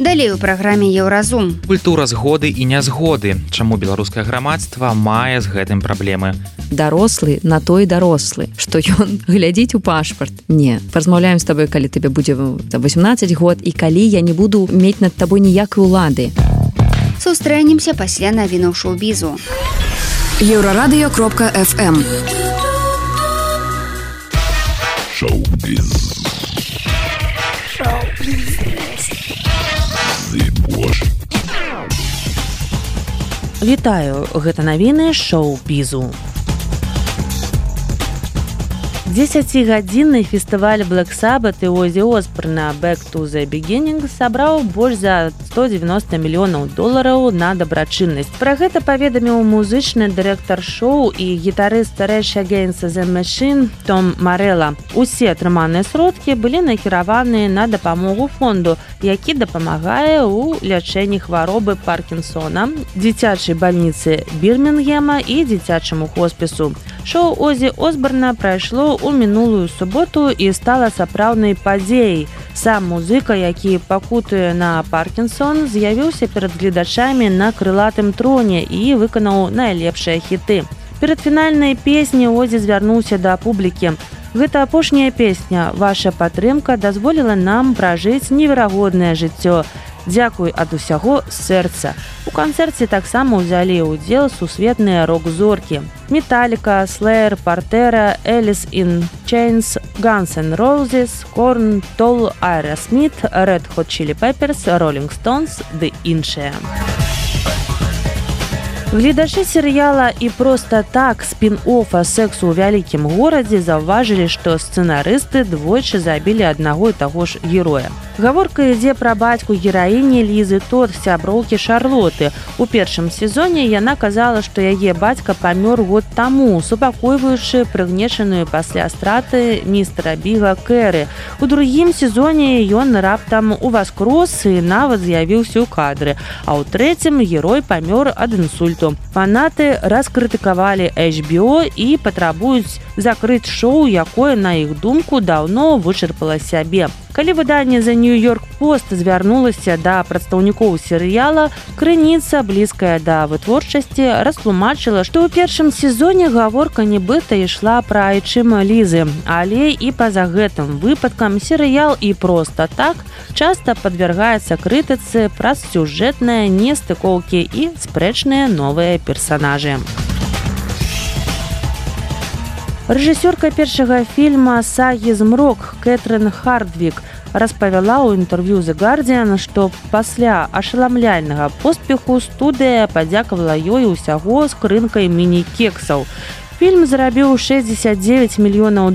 Далей у праграме Еўразум. Культура згоды і нязгоды. Чаму беларускае грамадства мае з гэтым праблемы? Дарослы на той дарослы, што ён глядзіць у пашпарт. Не, паразмаўляем з табой, калі табе будзе 18 год і калі я не буду мець над табой ніякай улады. Сустрэнемся пасля навінаў шоу-бізу. Еўрарадыё.фм. Шоу-біз. Вітаю, гэта навіны шоу-бізу. 10-гадзінны фестываль Black Sabbath і Озі Осборна Back to the Beginning сабраў больш за $190 мільёнаў на дабрачыннасць. Пра гэта паведаміў музычны дырэктар шоу і гітарыст Rage Against the Machine Том Марэлла. Усе атрыманыя сродкі былі накіраваныя на дапамогу фонду, які дапамагае ў лячэнні хваробы Паркінсона, дзіцячай бальніцы Бірмінгема і дзіцячаму хоспісу. Шоу Озі Осборна прайшло у мінулую суботу і стала сапраўднай падзеяй. Сам музыка, які пакутуе на Паркінсон, з'явіўся перад гледачамі на крылатым троне і выканаў найлепшыя хіты. Перад фінальнай песняй Озі звярнуўся да публікі. Гэта апошняя песня. Ваша падтрымка дазволіла нам пражыць неверагоднае жыццё. Дзякуй ад усяго сэрца. У канцэрце таксама ўзялі ўдзел сусветныя рок-зоркі. Металлика, Slayer, Pantera, Alice in Chains, Guns N' Roses, Korn, Tool, Aerosmith, Red Hot Chili Peppers, Rolling Stones ды іншыя. Гледачы серыяла і проста так спін-оффа «Сексу ў вялікім горадзе» заўважылі, што сцэнарысты двойчы забілі аднаго і таго ж героя. Гаворка ідзе пра бацьку гераіні Лізы Тод, сяброўкі Шарлоты. У першым сезоне яна казала, што яе бацька памёр год таму, супакойваючы прыгнечаную пасля страты містера Біга Кэры. У другім сезоне ён раптам уваскрос і нават з'явіўся ў кадры, а ў трэцім герой памёр ад інсульту. Фанаты раскрытыкавалі HBO і патрабуюць закрыць шоу, якое, на іх думку, даўно вычарпала сябе. Калі выданне The New York Post звярнулася да прадстаўнікоў серыяла, крыніца, блізкая да вытворчасці, растлумачыла, што ў першым сезоне гаворка нібыта ішла пра айчым Лізы, але і па-за гэтым выпадкам серыял і проста так часта падвяргаецца крытыцы праз сюжэтныя нестыкоўкі і спрэчныя новыя персанажы. Рэжысёрка першага фільма «Сагі змрок» Кэтрын Хардвік распавяла ў інтэрв'ю The Guardian, што пасля ашаламляльнага поспеху студыя падзякавала ёй усяго скрынкай міні-кексаў. Фільм зарабіў $69 мільёнаў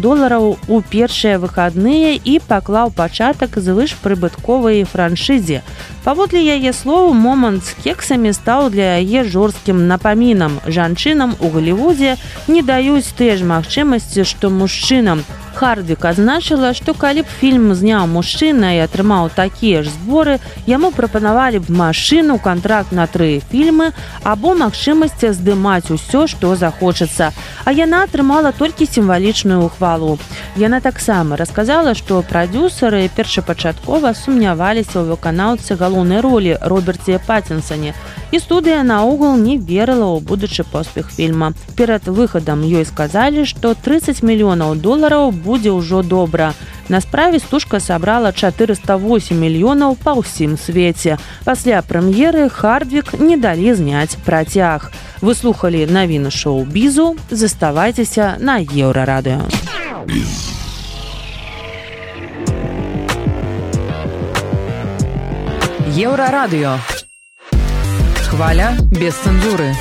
у першыя выхадныя і паклаў пачатак звышпрыбытковай франшызе. Паводле яе слоў, момант з кексамі стаў для яе жорсткім напамінам. Жанчынам у Галівудзе не даюць тыя ж магчымасці, што мужчынам. Хардвік азначыла, што калі б фільм зняў мужчына і атрымаў такія ж зборы, яму прапанавалі б машыну, кантракт на 3 фільмы або магчымасць здымаць усё, што захочацца. А яна атрымала толькі сімвалічную ўхвалу. Яна таксама расказала, што прадзюсары першапачаткова сумняваліся ў выканаўцы галоўнай ролі Роберце Паттінсане, і студыя наогул не верыла ў будучы поспех фільма. Перад выхадам ёй сказалі, што $30 мільёнаў будзе ўжо добра. На справе стужка сабрала 408 мільёнаў па ўсім свеце. Пасля прэм'еры Хардвік не далі зняць працяг. Вы слухалі навіны шоу-бізу. Заставайцеся на Еўрарадыё. Еўрарадыё. Хваля без цэнзуры.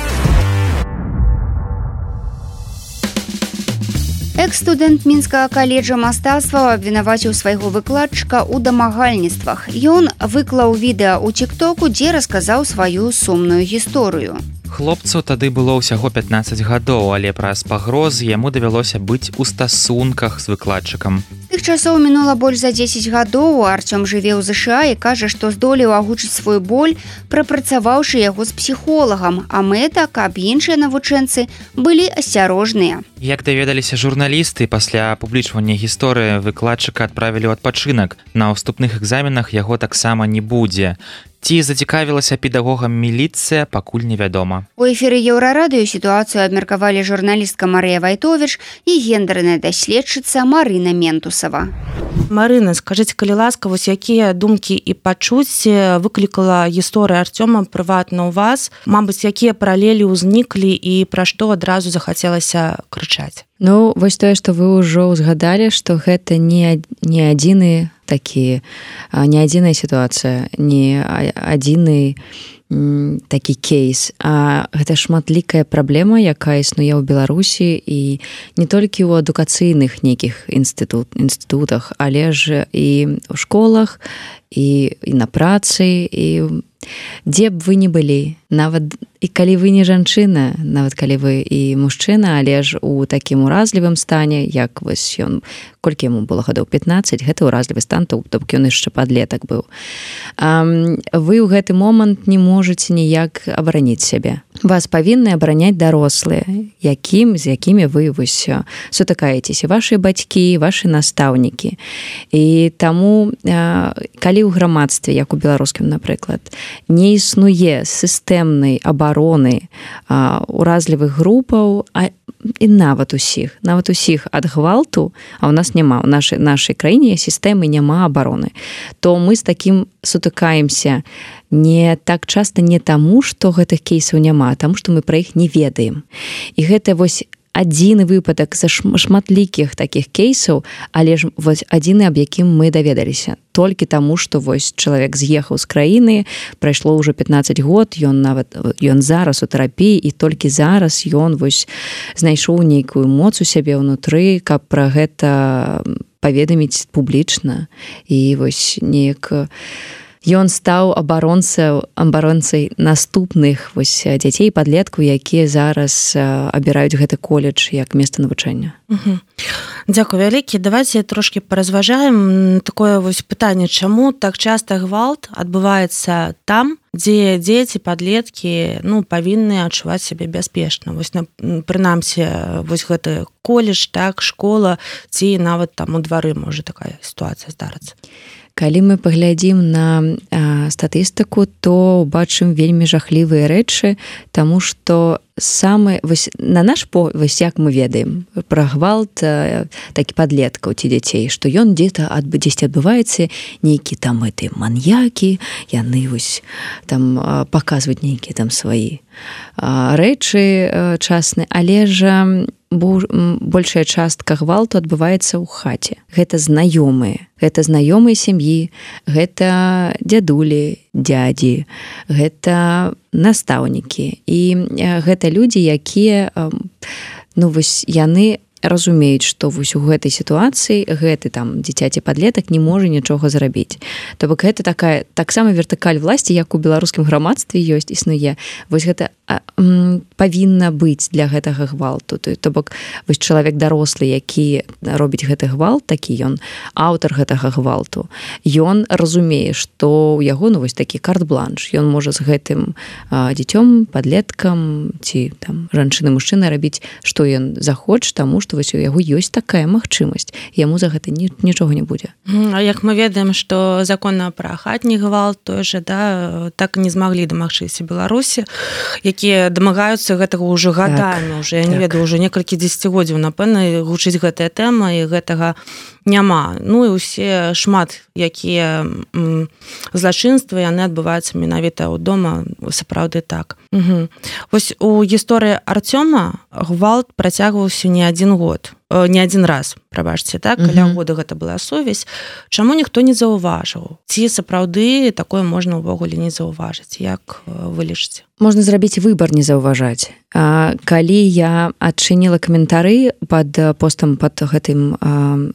Экс-студэнт мінскага каледжа мастацтваў абвінаваціў свайго выкладчыка ў дамагальніцтвах. Ён выклаў відэа ў тик-току, дзе расказаў сваю сумную гісторыю. Хлопцу тады было ўсяго 15 гадоў, але праз пагрозы яму давялося быць у стасунках з выкладчыкам. З тых часоў мінула больш за 10 гадоў. Арцём жыве ў ЗША і кажа, што здолеў агучыць свой боль, прапрацаваўшы яго з псіхолагам, а мэта, каб іншыя навучэнцы былі асцярожныя. Як даведаліся журналісты, пасля апублічвання гісторыі выкладчыка адправілі ў адпачынак. На ўступных экзаменах яго таксама не будзе. Ці зацікавілася педагогам міліцыя, пакуль невядома. У эфіры Еўрарадыё сітуацыю абмеркавалі журналістка Марыя Вайтовіч і гендерная даследчыца Марына Ментусава. Марына, скажыце, калі ласка, вось якія думкі і пачуцці выклікала гісторыя Арцёма прыватна ў вас? Мабыць, якія паралелі ўзніклі і пра што адразу захацелася крычаць? Ну, вось тое, што вы ўжо ўзгадалі, што гэта не адзіны такі, не адзіная сітуацыя, не адзіны такі кейс, а гэта шматлікая праблема, якая існуе ў Беларусі і не толькі ў адукацыйных нейкіх інстытутах, але ж і ў школах, і на працы, і дзе б вы не былі, нават і калі вы не жанчына, нават калі вы і мужчына, але ж у такім уразлівым стане, як вось ён, колькі яму было гадоў 15, гэта уразлівы стан, то бок ён яшчэ падлетак быў. Вы ў гэты момант не можаце ніяк абараніць сябе. Вас павінны абараняць дарослыя, з якімі вы вось сутыкаецеся, вашы бацькі, вашы настаўнікі. І таму, калі ў грамадстве, як у беларускім, напрыклад, не існуе сістэмнай абароны уразлівых групаў, і нават усіх ад гвалту, а ў нас няма, у нашай краіне сістэмы няма абароны, то мы з такім сутыкаемся не так часта не таму, што гэтых кейсаў няма, а таму, што мы пра іх не ведаем. І гэта вось адзіны выпадак за шматлікіх такіх кейсаў, але ж вось адзіны, аб якім мы даведаліся. Толькі таму, што вось чалавек з'ехаў з краіны, прайшло ўжо 15 год, ён зараз у тэрапіі, і толькі зараз ён вось знайшоў нейкую моц у сябе ўнутры, каб пра гэта паведаміць публічна. І вось неяк ён стаў абаронцай наступных вось дзяцей і падлеткаў, якія зараз абіраюць гэты коледж як месца навучання. Дзякуй вялікі. Давайте трошки паразважаем такое вось пытанне, чаму так часта гвалт адбываецца там, дзе дзеці, падлеткі павінны адчуваць сябе бяспечна. Вось прынамсі вось гэты коледж, так, школа, ці нават там у двары можа такая сітуацыя здарыцца. Калі мы паглядзім на статыстыку, то убачым вельмі жахлівыя рэчы, таму што вось на наш вось як мы ведаем пра гвалт такі падлеткаў ці дзяцей, што ён дзесьці адбываецца, нейкі там маньякі, яны вось там паказваюць нейкія там свае рэчы часныя, але ж большая частка гвалту адбываецца ў хаце. Гэта знаёмыя сям'і, гэта дзядулі, дзядзі, гэта настаўнікі. І гэта людзі, якія вось яны разумеюць, што вось у гэтай сітуацыі гэты там дзіцяці падлетак не можа нічога зрабіць. То бок гэта таксама вертыкаль власці, як у беларускім грамадстве існуе. Вось гэта павінна быць для гэтага гвалту. То бок вось чалавек дарослы, які робіць гэты гвалт, такі ён аўтар гэтага гвалту. Ён разумее, што ў яго вось такі карт-бланш. Ён можа з гэтым дзіцём, падлеткам ці там жанчыны, мужчыны рабіць, што ён захоча, таму што вось у яго ёсць такая магчымасць. Яму за гэта нічога не будзе. А як мы ведаем, што закон пра хатні гвалт той жа, так не змаглі дамагчыся Беларусі, якія дамагаюцца гэтага ўжо гадамі, я не ведаю, ўжо некалькі дзесяцігоддзяў, напэўна, гучыць гэтая тэма, і гэтага няма. Ну і ўсе шмат якія злачынствы яны адбываюцца менавіта ў дома, сапраўды так. Вось у гісторыі Артёма гвалт працягваўся не адзін год, не адзін раз, прабачце, так, каля года гэта была сувязь. Чаму ніхто не заўважыў? Ці сапраўды такое можна ўвогуле не заўважыць? Як вы лічыце? Можна зрабіць выбар не заўважаць. Калі я адчыніла каментары пад постам пад гэтым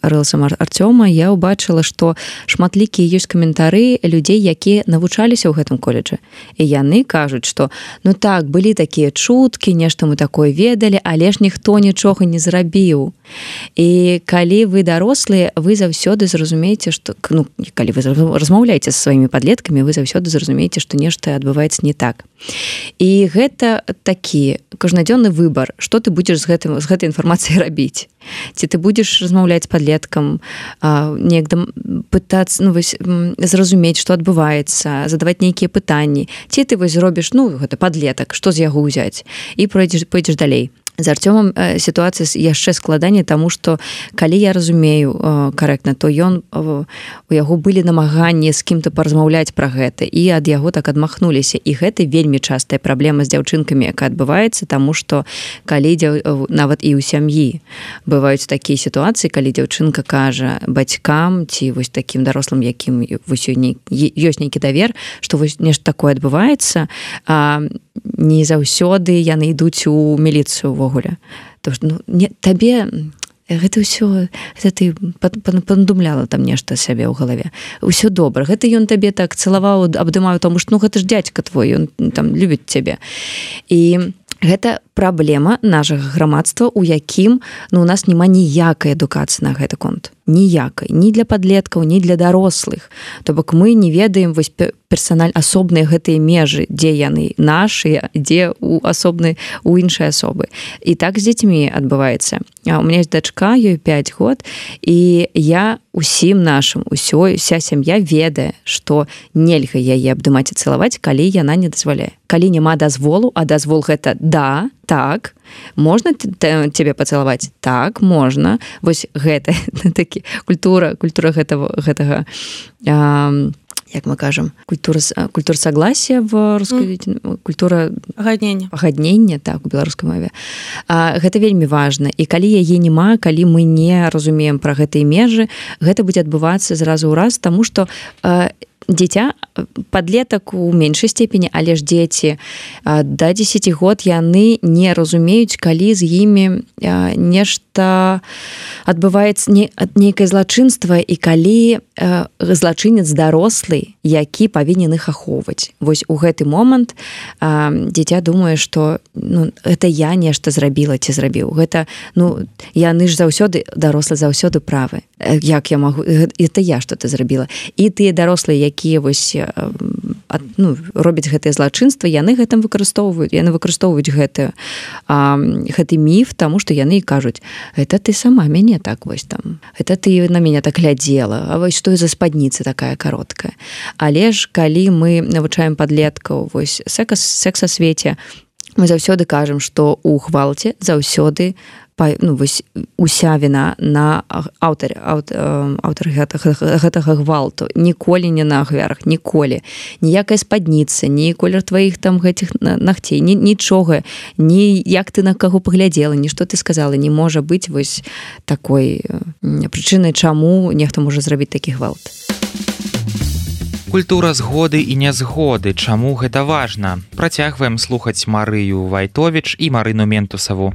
рэлсам Артёма, я ўбачыла, што шматлікія ёсць каментары людзей, якія навучаліся ў гэтым коледжы. І яны кажуць, што ну так, былі такія чуткі, нешта мы такое ведалі, але ж ніхто нічога не зрабіў. І калі вы дарослыя, вы заўсёды зразумееце, што ну, калі вы размаўляеце са сваімі падлеткамі, вы заўсёды зразумееце, што нешта адбываецца не так. І гэта такі кожнадзённы выбар, што ты будзеш з гэтай інфармацыяй рабіць. Ці ты будзеш размаўляць з падлеткам, неяк пытацца зразумець, што адбываецца, задаваць нейкія пытанні. Ці ты вось зробіш, ну, гэта падлетак, што з яго ўзяць, і пойдзеш далей. З Артёмам сітуацыя яшчэ складаней, таму што калі я разумею карэктна, то у яго былі намаганні з кім-то паразмаўляць пра гэта, і ад яго так адмахнуліся. І гэта вельмі частая праблема з дзяўчынкамі, якая адбываецца, таму што калі нават і ў сям'і бываюць такія сітуацыі, калі дзяўчынка кажа бацькам ці вось такім дарослым, якім ёсць нейкі давер, што вось нешта такое адбываецца, не заўсёды яны ідуць у міліцыю ўвогуле. Табе гэта ўсё, гэта ты панадумляла там нешта сябе ў галаве. Усё добра. Гэта ён табе так цалаваў, абдымаў, таму што ну гэта ж дзядзька твой, ён там любіць цябе. І гэта праблема нашага грамадства, у якім у нас няма ніякай адукацыі на гэты конт. Ніякай. Ні для падлеткаў, ні для дарослых. То бок мы не ведаем вось асобныя гэтыя межы, дзе яны нашыя, дзе у іншай асобы. І так з дзецьмі адбываецца. У меня ёсць дачка, ёй 5 год, і я усім нашым, уся сям'я ведае, што нельга яе абдымаць і цалаваць, калі яна не дазваляе. Калі няма дазволу, а дазвол гэта да, так, можна цябе пацалаваць? Так, можна. Вось гэта такі культура гэтага як мы кажам, культура согласия в рускай культура пагаднення, так, у беларускай мове. Гэта вельмі важна. І калі яе няма, калі мы не разумеем пра гэтыя межы, гэта будзе адбывацца зразу ў раз, таму што дзіця, падлетак у меншай степені, але ж дзеці да 10 год яны не разумеюць, калі з імі нешта адбываецца нейкае злачынства, і калі злачынец дарослы, які павінен іх ахоўваць. Вось у гэты момант дзіця думае, што гэта я нешта зрабіла ці зрабіў. Гэта, яны ж заўсёды, дарослы заўсёды правы. Як я магу? Это я што-то зрабіла. І тыя дарослыя, якія вось робяць гэтыя злачынства, яны гэтым выкарыстоўваюць гэты міф, таму што яны кажуць, это ты сама мяне так вось там, это ты на мяне так глядзела, а вось што за спадніца такая кароткая. Але ж калі мы навучаем падлеткаў вось секс асвеце, мы заўсёды кажам, што ў гвалце заўсёды уся віна на аўтары гэтага гвалту. Ніколі не на ахвярах, ніколі. Ніякая спадніца, ні колер тваіх там гэтых нагцей, нічога, ні як ты на каго паглядзела, ні што ты сказала, не можа быць вось такой прычынай, чаму нехта можа зрабіць такі гвалт. Культура згоды і нязгоды. Чаму гэта важна? Працягваем слухаць Марыю Вайтовіч і Марыну Ментусаву.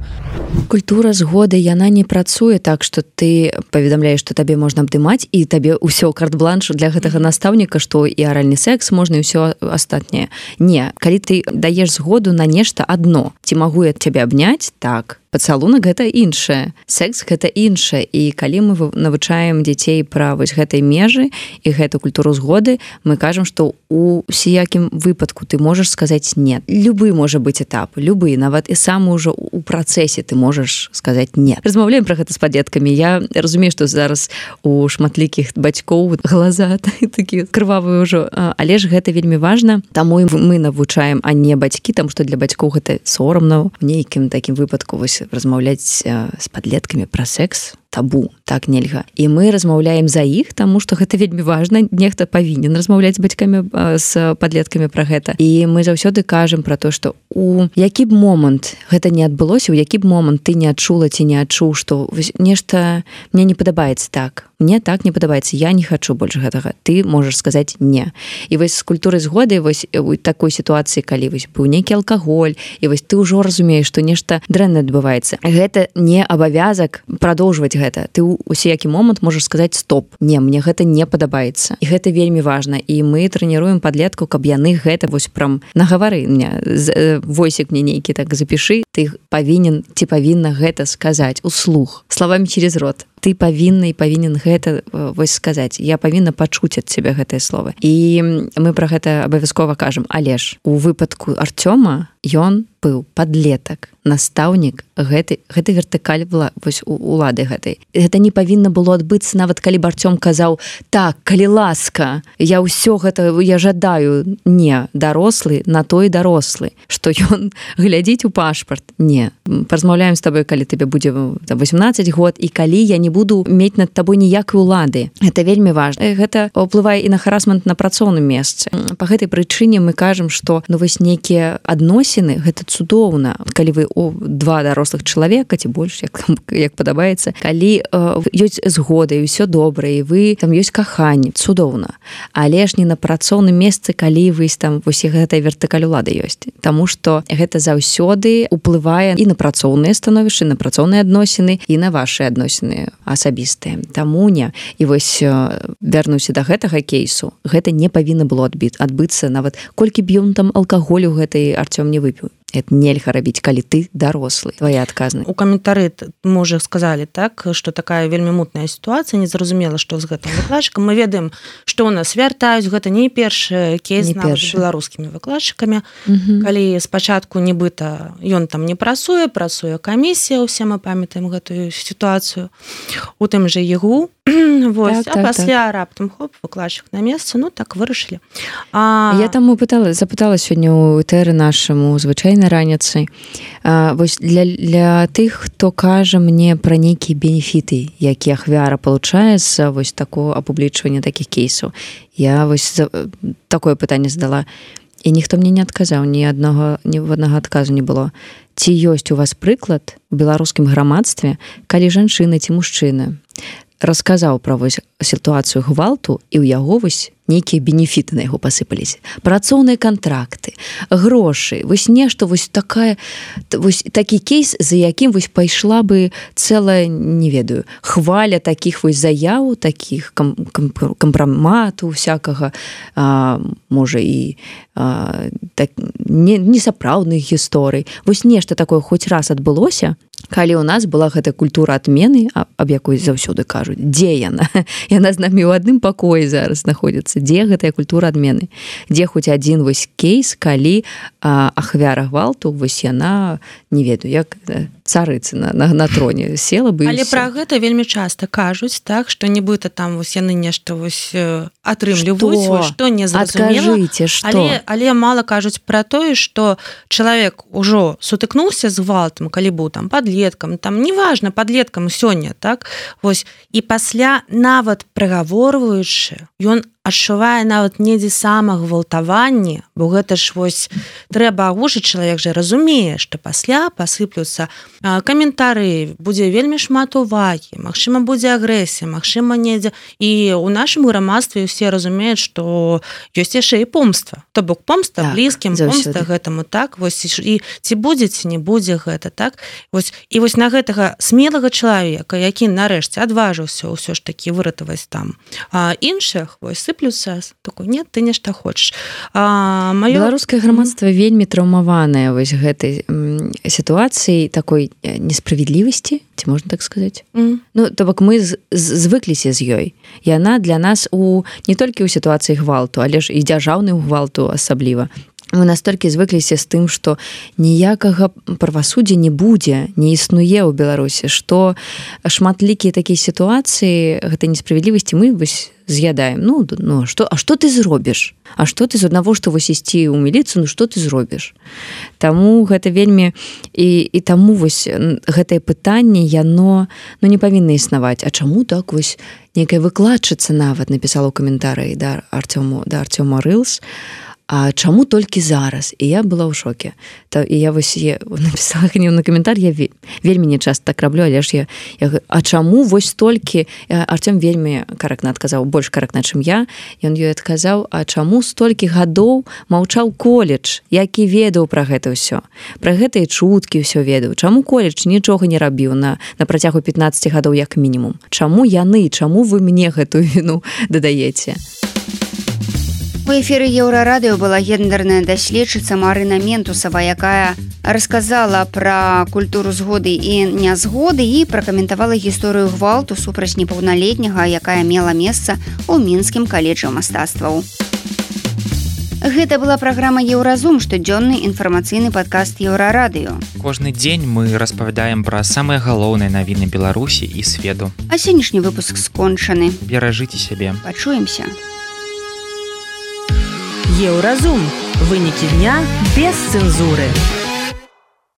Культура згоды, яна не працуе так, што ты паведамляеш, што табе можна абдымаць, і табе ўсё карт-бланш для гэтага настаўніка, што і аральны секс можна, і ўсё астатняе. Не, калі ты даеш згоду на нешта адно, ці магу я цябе абняць? Так. Пацалунак гэта іншае, секс гэта іншае, і калі мы навучаем дзяцей пра вось гэтай межы і гэту культуру згоды, мы кажам, што у усякім выпадку ты можаш сказаць нет. Любы можа быць этап, любы, нават і сам ужо у працэсе ты можаш сказаць нет. Размаўляем пра гэта з падлеткамі. Я разумею, што зараз у шматлікіх бацькоў глаза такі крывавыя ўжо, але ж гэта вельмі важна, таму мы навучаем, а не бацькі, таму што для бацькоў гэта сорамна в нейкім такім выпадку вось размаўляць з падлеткамі пра секс. табу, так нельга. І мы размаўляем за іх, таму што гэта вельмі важна, нехта павінен размаўляць з бацькамі, з падлеткамі пра гэта. І мы заўсёды кажам пра то, што у які б момант гэта не адбылося, у які б момант ты не адчула ці не адчуў, што нешта мне не падабаецца так, мне так не падабаецца, я не хачу больш гэтага, ты можаш сказаць не. І вось з культурай згоды вось у такой сітуацыі, калі вось быў нейкі алкаголь, і вось ты ўжо разумееш, што нешта дрэннае адбываецца. Гэта не абавязак прадоўжваць гэта. Ты ў усякі момант можаш сказаць стоп. Не, мне гэта не падабаецца. І гэта вельмі важна. І мы трэніруем падлетку, каб яны гэта вось прям нагавары мне. Войсік мне нейкі так запішы, ты павінен ці павінна гэта сказаць услух, словамі через рот. Ты павінна і павінен гэта вось сказаць. Я павінна пачуць ад цябе гэтае слово. І мы пра гэта абавязкова кажам. Але ж у выпадку Артёма ён быў падлетак, настаўнік, гэта вертыкаль вось улады гэтай. Гэта не павінна было адбыцца, нават калі б Артём казаў: так, калі ласка, я ўсё гэта, я жадаю. Не, дарослы на той дарослы, што ён глядзіць у пашпарт. Не, паразмаўляем з табой, калі табе будзе 18 год, і калі я не буду мець над табой ніякай улады. Гэта вельмі важна. Гэта ўплывае і на харасмент на працоўным месцы. Па гэтай прычыне мы кажам, што вось нейкія адносіны, гэта цудоўна. Калі вы два дарослых чалавека, ці больш, як падабаецца, калі ёсць згода і ўсё добра, і вы там ёсць каханне, цудоўна. Але ж не на працоўным месцы, калі вы там вось гэтая вертыкаль улады ёсць. Таму што гэта заўсёды ўплывае і на працоўныя становішчы, на працоўныя адносіны, і на вашы адносіны асабістыя. Таму не. І вось вярнуся да гэтага кейсу, гэта не павінна было адбыцца, нават колькі б ён там алкаголю гэтай Артём не выпіў. Это нельга рабіць, калі ты дарослы. Твоя адказнасць. У каментары мы уже сказалі, так, што такая вельмі мутная сітуацыя, незразумела, што з гэтым выкладчыкам. Мы ведаем, што ў нас вяртаюць, гэта не першы кейс нават з беларускімі выкладчыкамі. Калі спачатку нібыта ён там не працуе камісія, усе мы памятаем гэтую сітуацыю. У тым жа ЕГУ. Вось, а пасля раптам хоп, выкладчык на месцы, ну так вырашылі. Я там запытала сёння ў этэры нашаму звычайнай раніцай. Вось для тых, хто кажа мне пра нейкія бенефіты, які ахвяра получае з вось такого апублічвання такіх кейсаў. Я вось такое пытанне задала, і ніхто мне не адказаў, ні аднага адказу не было. Ці ёсць у вас прыклад у беларускім грамадстве, калі жанчына ці мужчына расказаў пра вось сітуацыю гвалту, і ў яго вось нейкія бенефіты на яго пасыпаліся. Працоўныя кантракты, грошы, вось нешта, вось такі кейс, за якім вось пайшла бы цэлая, не ведаю, хваля такіх вось заяў, такіх кампрамату всякага, можа і несапраўдных гісторый. Вось нешта такое хоць раз адбылося, калі ў нас была гэта культура адмены, аб якой заўсёды кажуць. Дзе яна? Яна з намі ў адным пакоі зараз знаходзіцца. Дзе гэтая культура адмены? Дзе хоць адзін вось кейс, калі ахвяра гвалту, вось яна, не ведаю, як царыца на троне села бы. Але пра гэта вельмі часта кажуць, так, што нібыта там вось яны нешта вось атрымліваюць, што не зразумела. Адкажыце, што? Але мала кажуць пра тое, што чалавек ужо сутыкнуўся з гвалтам, калі быў там падлеткам, там неважна, падлеткам сёння, так? Вось, і пасля нават прагаворваючы, ён адчувае нават недзе самагвалтаванне, бо гэта ж вось трэба агучыць, чалавек жа разумее, што пасля пасыплюцца каментары, будзе вельмі шмат увагі, магчыма, будзе агрэсія, магчыма, недзе. І ў нашым грамадстве ўсе разумеюць, што ёсць яшчэ і помста. То бок помста блізкім, помста гэтаму, так? Вось, і ці будзе, ці не будзе гэта, так? Вось, і вось на гэтага смелага чалавека, які нарэшце адважыўся ўсё ж такі выратаваць там іншых, вось, сыплюцца, такой, нет, ты нешта хочаш. Беларускае грамадства вельмі траўмаванае вось гэтай сітуацыі такой несправедлівасці, ці можна так сказаць? Ну, то бок мы звыкліся з ёй. Яна для нас не толькі ў сітуацыі гвалту, але ж і дзяржаўную гвалту асабліва. мы настолькі звыкліся з тым, што ніякага правасуддзя не будзе, не існуе ў Беларусі, што шматлікія такія сітуацыі гэтай несправядлівасці мы вось з'ядаем. Што ты зробіш? А што ты з аднаго, што вось ісці ў міліцыю, што ты зробіш? Таму гэта вельмі і таму вось гэтае пытанне яно не павінна існаваць. А чаму так вось некая выкладчыца нават напісала ў каментарыі да Арцёма Рылс, а чаму толькі зараз? І я была ў шоке. І я вось напісала гневны каментар, я вельмі не часта так раблю, але ж я а чаму вось столькі? Артём вельмі карэктна адказаў, больш карэктна, чым я. Ён ёй адказаў, а чаму столькі гадоў маўчаў коледж, які ведаў пра гэта ўсё? Пра гэтыя чуткі ўсё ведаў. Чаму коледж нічога не рабіў на працягу 15 гадоў як мінімум? Чаму яны, чаму вы мне гэтую віну дадаеце? У эфіры Еўрарадыё была гендерная даследчыца Марына Ментусава, якая расказала пра культуру згоды і нязгоды і пракаментавала гісторыю гвалту супраць непаўналетняга, якая мела месца ў мінскім каледжы мастацтваў. Гэта была праграма «Еўразум», штодзённы інфармацыйны падкаст Еўрарадыё. Кожны дзень мы распавядаем пра самыя галоўныя навіны Беларусі і свету. А сённяшні выпуск скончаны. Беражыце сябе. Пачуемся. Еўразум. Вынікі дня без цэнзуры.